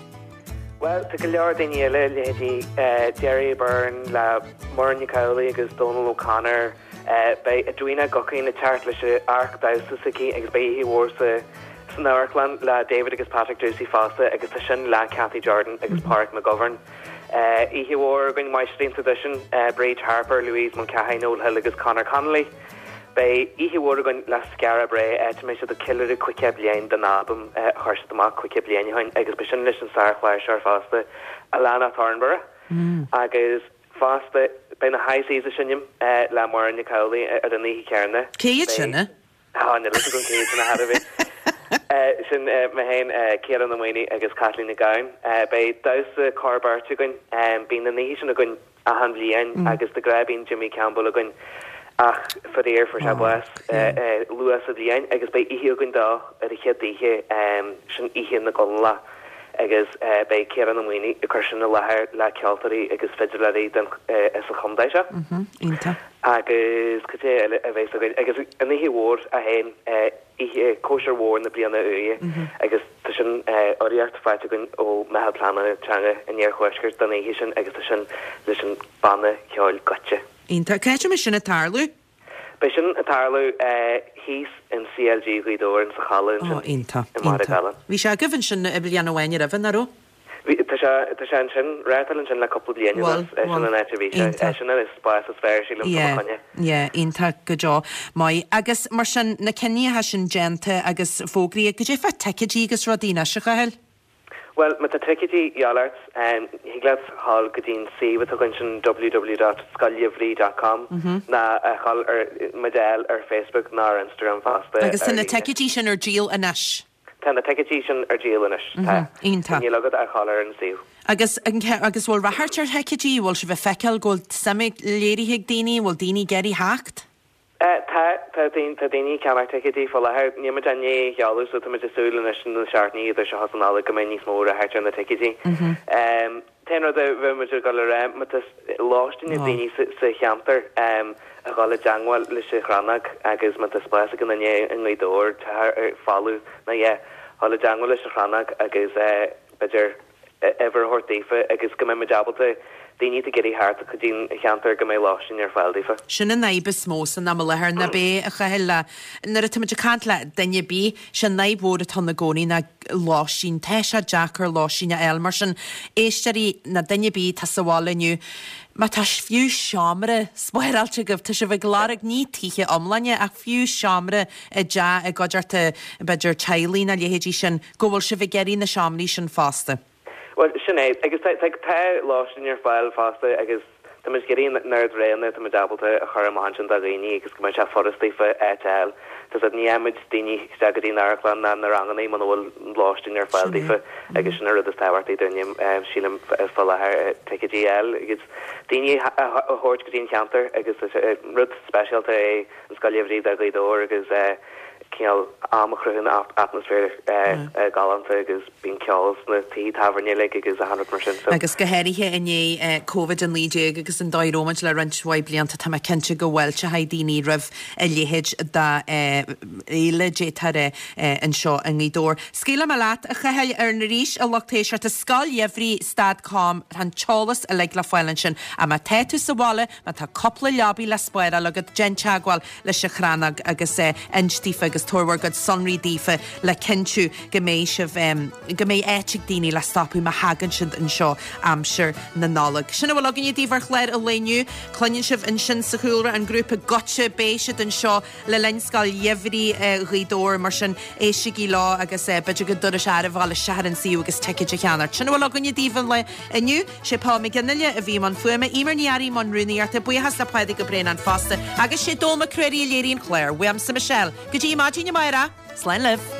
Bhuel, tá go leor daoine eile, leithéidí Gerry Byrne le Muireann Nic Amhlaoibh agus Dónal O'Connor. Beidh Edwina Guckian ag teacht leis an amharc damhsa s'aici agus beidh oíche mhór sa san amharclann le David agus Patrick Drucy fosta agus tá sin le Cathy Jordan agus Pádraig McGovern. Oíche mhór againn Máistrí an Traidisiúin, Bríd Harper, Louise Mulcahy, Noel Hill agus Conor Connolly. Beidh oíche mhór againn le Skara Brae, áit a mbeidh siad ag ceiliúradh caoga bliain den albam a chuir siad amach caoga bliain ó shin agus beidh sin leis an sár-chláirseoir fosta, Alannah Thornburgh. Agus fosta beidh na High Seas ag seinm le Muireann Nic Amhlaoibh ar an oíche chéanna. Cé hiad sin? Tá, níl a fhios agam cé hiad sin ar chor ar bith. Sin mé féin, Ciarán Ó Maonaigh agus Caitlín Nic Gabhann. Beidh damhsa cór beirte againn. Bíonn an oíche sin againn achan bhliain agus de ghnáth bíonn Jimmy Campbell againn ach faraor fuair sé bás luath sa bhliain agus beidh oíche againn dó ar an chéad oíche, sin Oíche na gConallach agus beidh Ciarán Ó Maonaigh ag cur sin i láthair le ceoltóirí agus fidiléirí as an chontae seo. Iontach. Agus cad é eile a bheas againn? Agus an oíche mhór í féin, oíche cóisir mhór na bliana úire agus tá sin urraíocht faighte againn ó Meitheal Pleanála Teanga an Iarthuaiscirt don oíche sin agus tá sin leis an banna ceoil Goitse. Iontach. Cá háit a mbeidh sin ag tarlú? Beidh sin ag tarlú thíos in CLG Ghaoth Dobhair in sa halla ansin Ó, iontach, i mBarra iontach. Gallan. Bhí sé agaibh ansin bliain amháin roimhe, nach raibh? Bhí, tá sé, tá sé ansin, reáchtáil ansin le cúpla bliain Bhuel, anuas, sin bhuel, an áit a bhí sé, iontach. sin an spás is fearr, sílim, fá mo Yeah, choinne. yeah, iontach go deo. Maith. Agus mar sin, na cinníocha sin déanta agus fógraithe, goidé fá ticéidí agus rudaí anois, a Chathail? Bhuel, má tá ticéidí de dhíobháil ort, thig leat dhul go dtí an suíomh atá againn sin www dot scoilgheimhridh dot com nó a dhul ar muid a fháil ar Facebook nó ar Instagram fosta Agus tá ar na líne. ticéidí sin ar díol anois? Tá na ticéidí sin ar díol anois, tá. Iontach. Níl agat ach dhul ar an suíomh. Agus agus bhfuil ráchairt ar thicéidí, bhfuil sibh ag feiceáil go bhfuil suim léirithe ag daoine, bhfuil daoine ag iarraidh theacht? Tá, tá daoine, tá daoine ag ceannach ticéidí faoi láthair. Níl muid i ndiaidh a sheoladh so tá muid ag súil anois na seachtainí idir seo is an Nollaig go mbeidh níos mó ráchairt ar na ticéidí. T-aon rud a bheadh muid ag dul a rá, má tá lóistín ag daoine sa cheantar a dhul i dteangmháil leis an Chrannóg agus má tá spás ag an duine i nGaoth Dobhair, teach folamh nó a dhath, dhul i dteangmháil leis an Chrannóg agus b'fhéidir uimhir a thabhairt daofa agus go mbeidh muid ábalta daoine atá ag iarraidh theacht go dtí an cheantar go mbeidh lóistín ar fáil daofa. Sin an fhadhb is mó san am i láthair, ná b'é, a Chathail, le, nuair atá muid ag caint le duine ar bith, sé an fhadhb mhór atá ann i gcónaí ná lóistín. Tá sé deacair lóistín a fháil, mar sin, éisteoirí ná duine ar bith atá sa bhaile inniu, má tá fiú seomra spáráilte agaibh, tá sibh ag lorg ní tithe iomláine ach fiú seomra i dteach i gcuideachta b'fhéidir teaghlaigh ná leithéidí sin, go bhfuil sibh ag iarraidh na seomraí sin fosta. Bhuel, sin é. Agus tá, tá, tá lóistín ar fáil fosta agus tá muid ag iarraidh an oiread roghanna atá muid ábalta a chur amach ansin do dhaoine agus go mbeidh sé furast daofa áit a fháil. Tá 's agat, ní fhaigheann muid daoine isteach go dtí an amharclann ná na ranganna muna bhfuil lóistín ar fáil daofa agus sin an rud is tábhachtaí dúinne, sílim, faoi láthair, ticéidí a fháil agus daoine a thabhairt go dtí an cheantar agus is rud speisialta é an Scoil Gheimhridh do Ghaoth Dobhair agus cineál am a chruthaíonn atmaisféar galánta agus bíonn ceol sna tithe tábhairne uilig agus achan rud mar sin so. Agus go háirithe i ndiaidh Covid a naoi déag agus an dóigh a raibh muid le roinnt mhaith blianta, tá mé cinnte go bhfáilteoidh daoine roimh a leithéid d'fhéile, d'fhéadfá a rá, anseo i nGaoth Dobhair. Scaoilfidh mé leat, a Chathail, ar arís, a lucht éisteachta, Scoil Gheimhridh stad com, tá an t-eolas uilig le fáil ansin. Ach má tá tú sa bhaile, má tá cúpla leabaidh le spáráil agat, déan teagmháil leis an Chrannóg agus inis daofa agus tabhair bhur gcuid sonraí daofa le cinntiú go mbeidh sibh, go mbeidh áit ag daoine le stopadh má thagann siad anseo aimsir na Nollag. Sin a bhfuil againne daoibh ar chlár an lae inniu. Cluineann sibh ansin sa chúlra an grúpa Goitse, beidh siad anseo le linn Scoil Gheimhridh Ghaoth Dobhair, mar sin éistigí leo agus b'fhéidir go dtabharfaidh sé oraibh a dhul isteach ar an suíomh agus ticéid a cheannacht. Sin a bhfuil againne daoibh an lae inniu. Sé Paul McGinley a bhí i mbun fuaime, Eimear Ní Fhearraigh i mbun rúnaíochta, buíochas le Pádraig Ó Braonáin fosta, agus sé Dónall Mac Ruairí a léirigh an clár. Uaimse Michelle, go dtí maidin amárach, slán libh!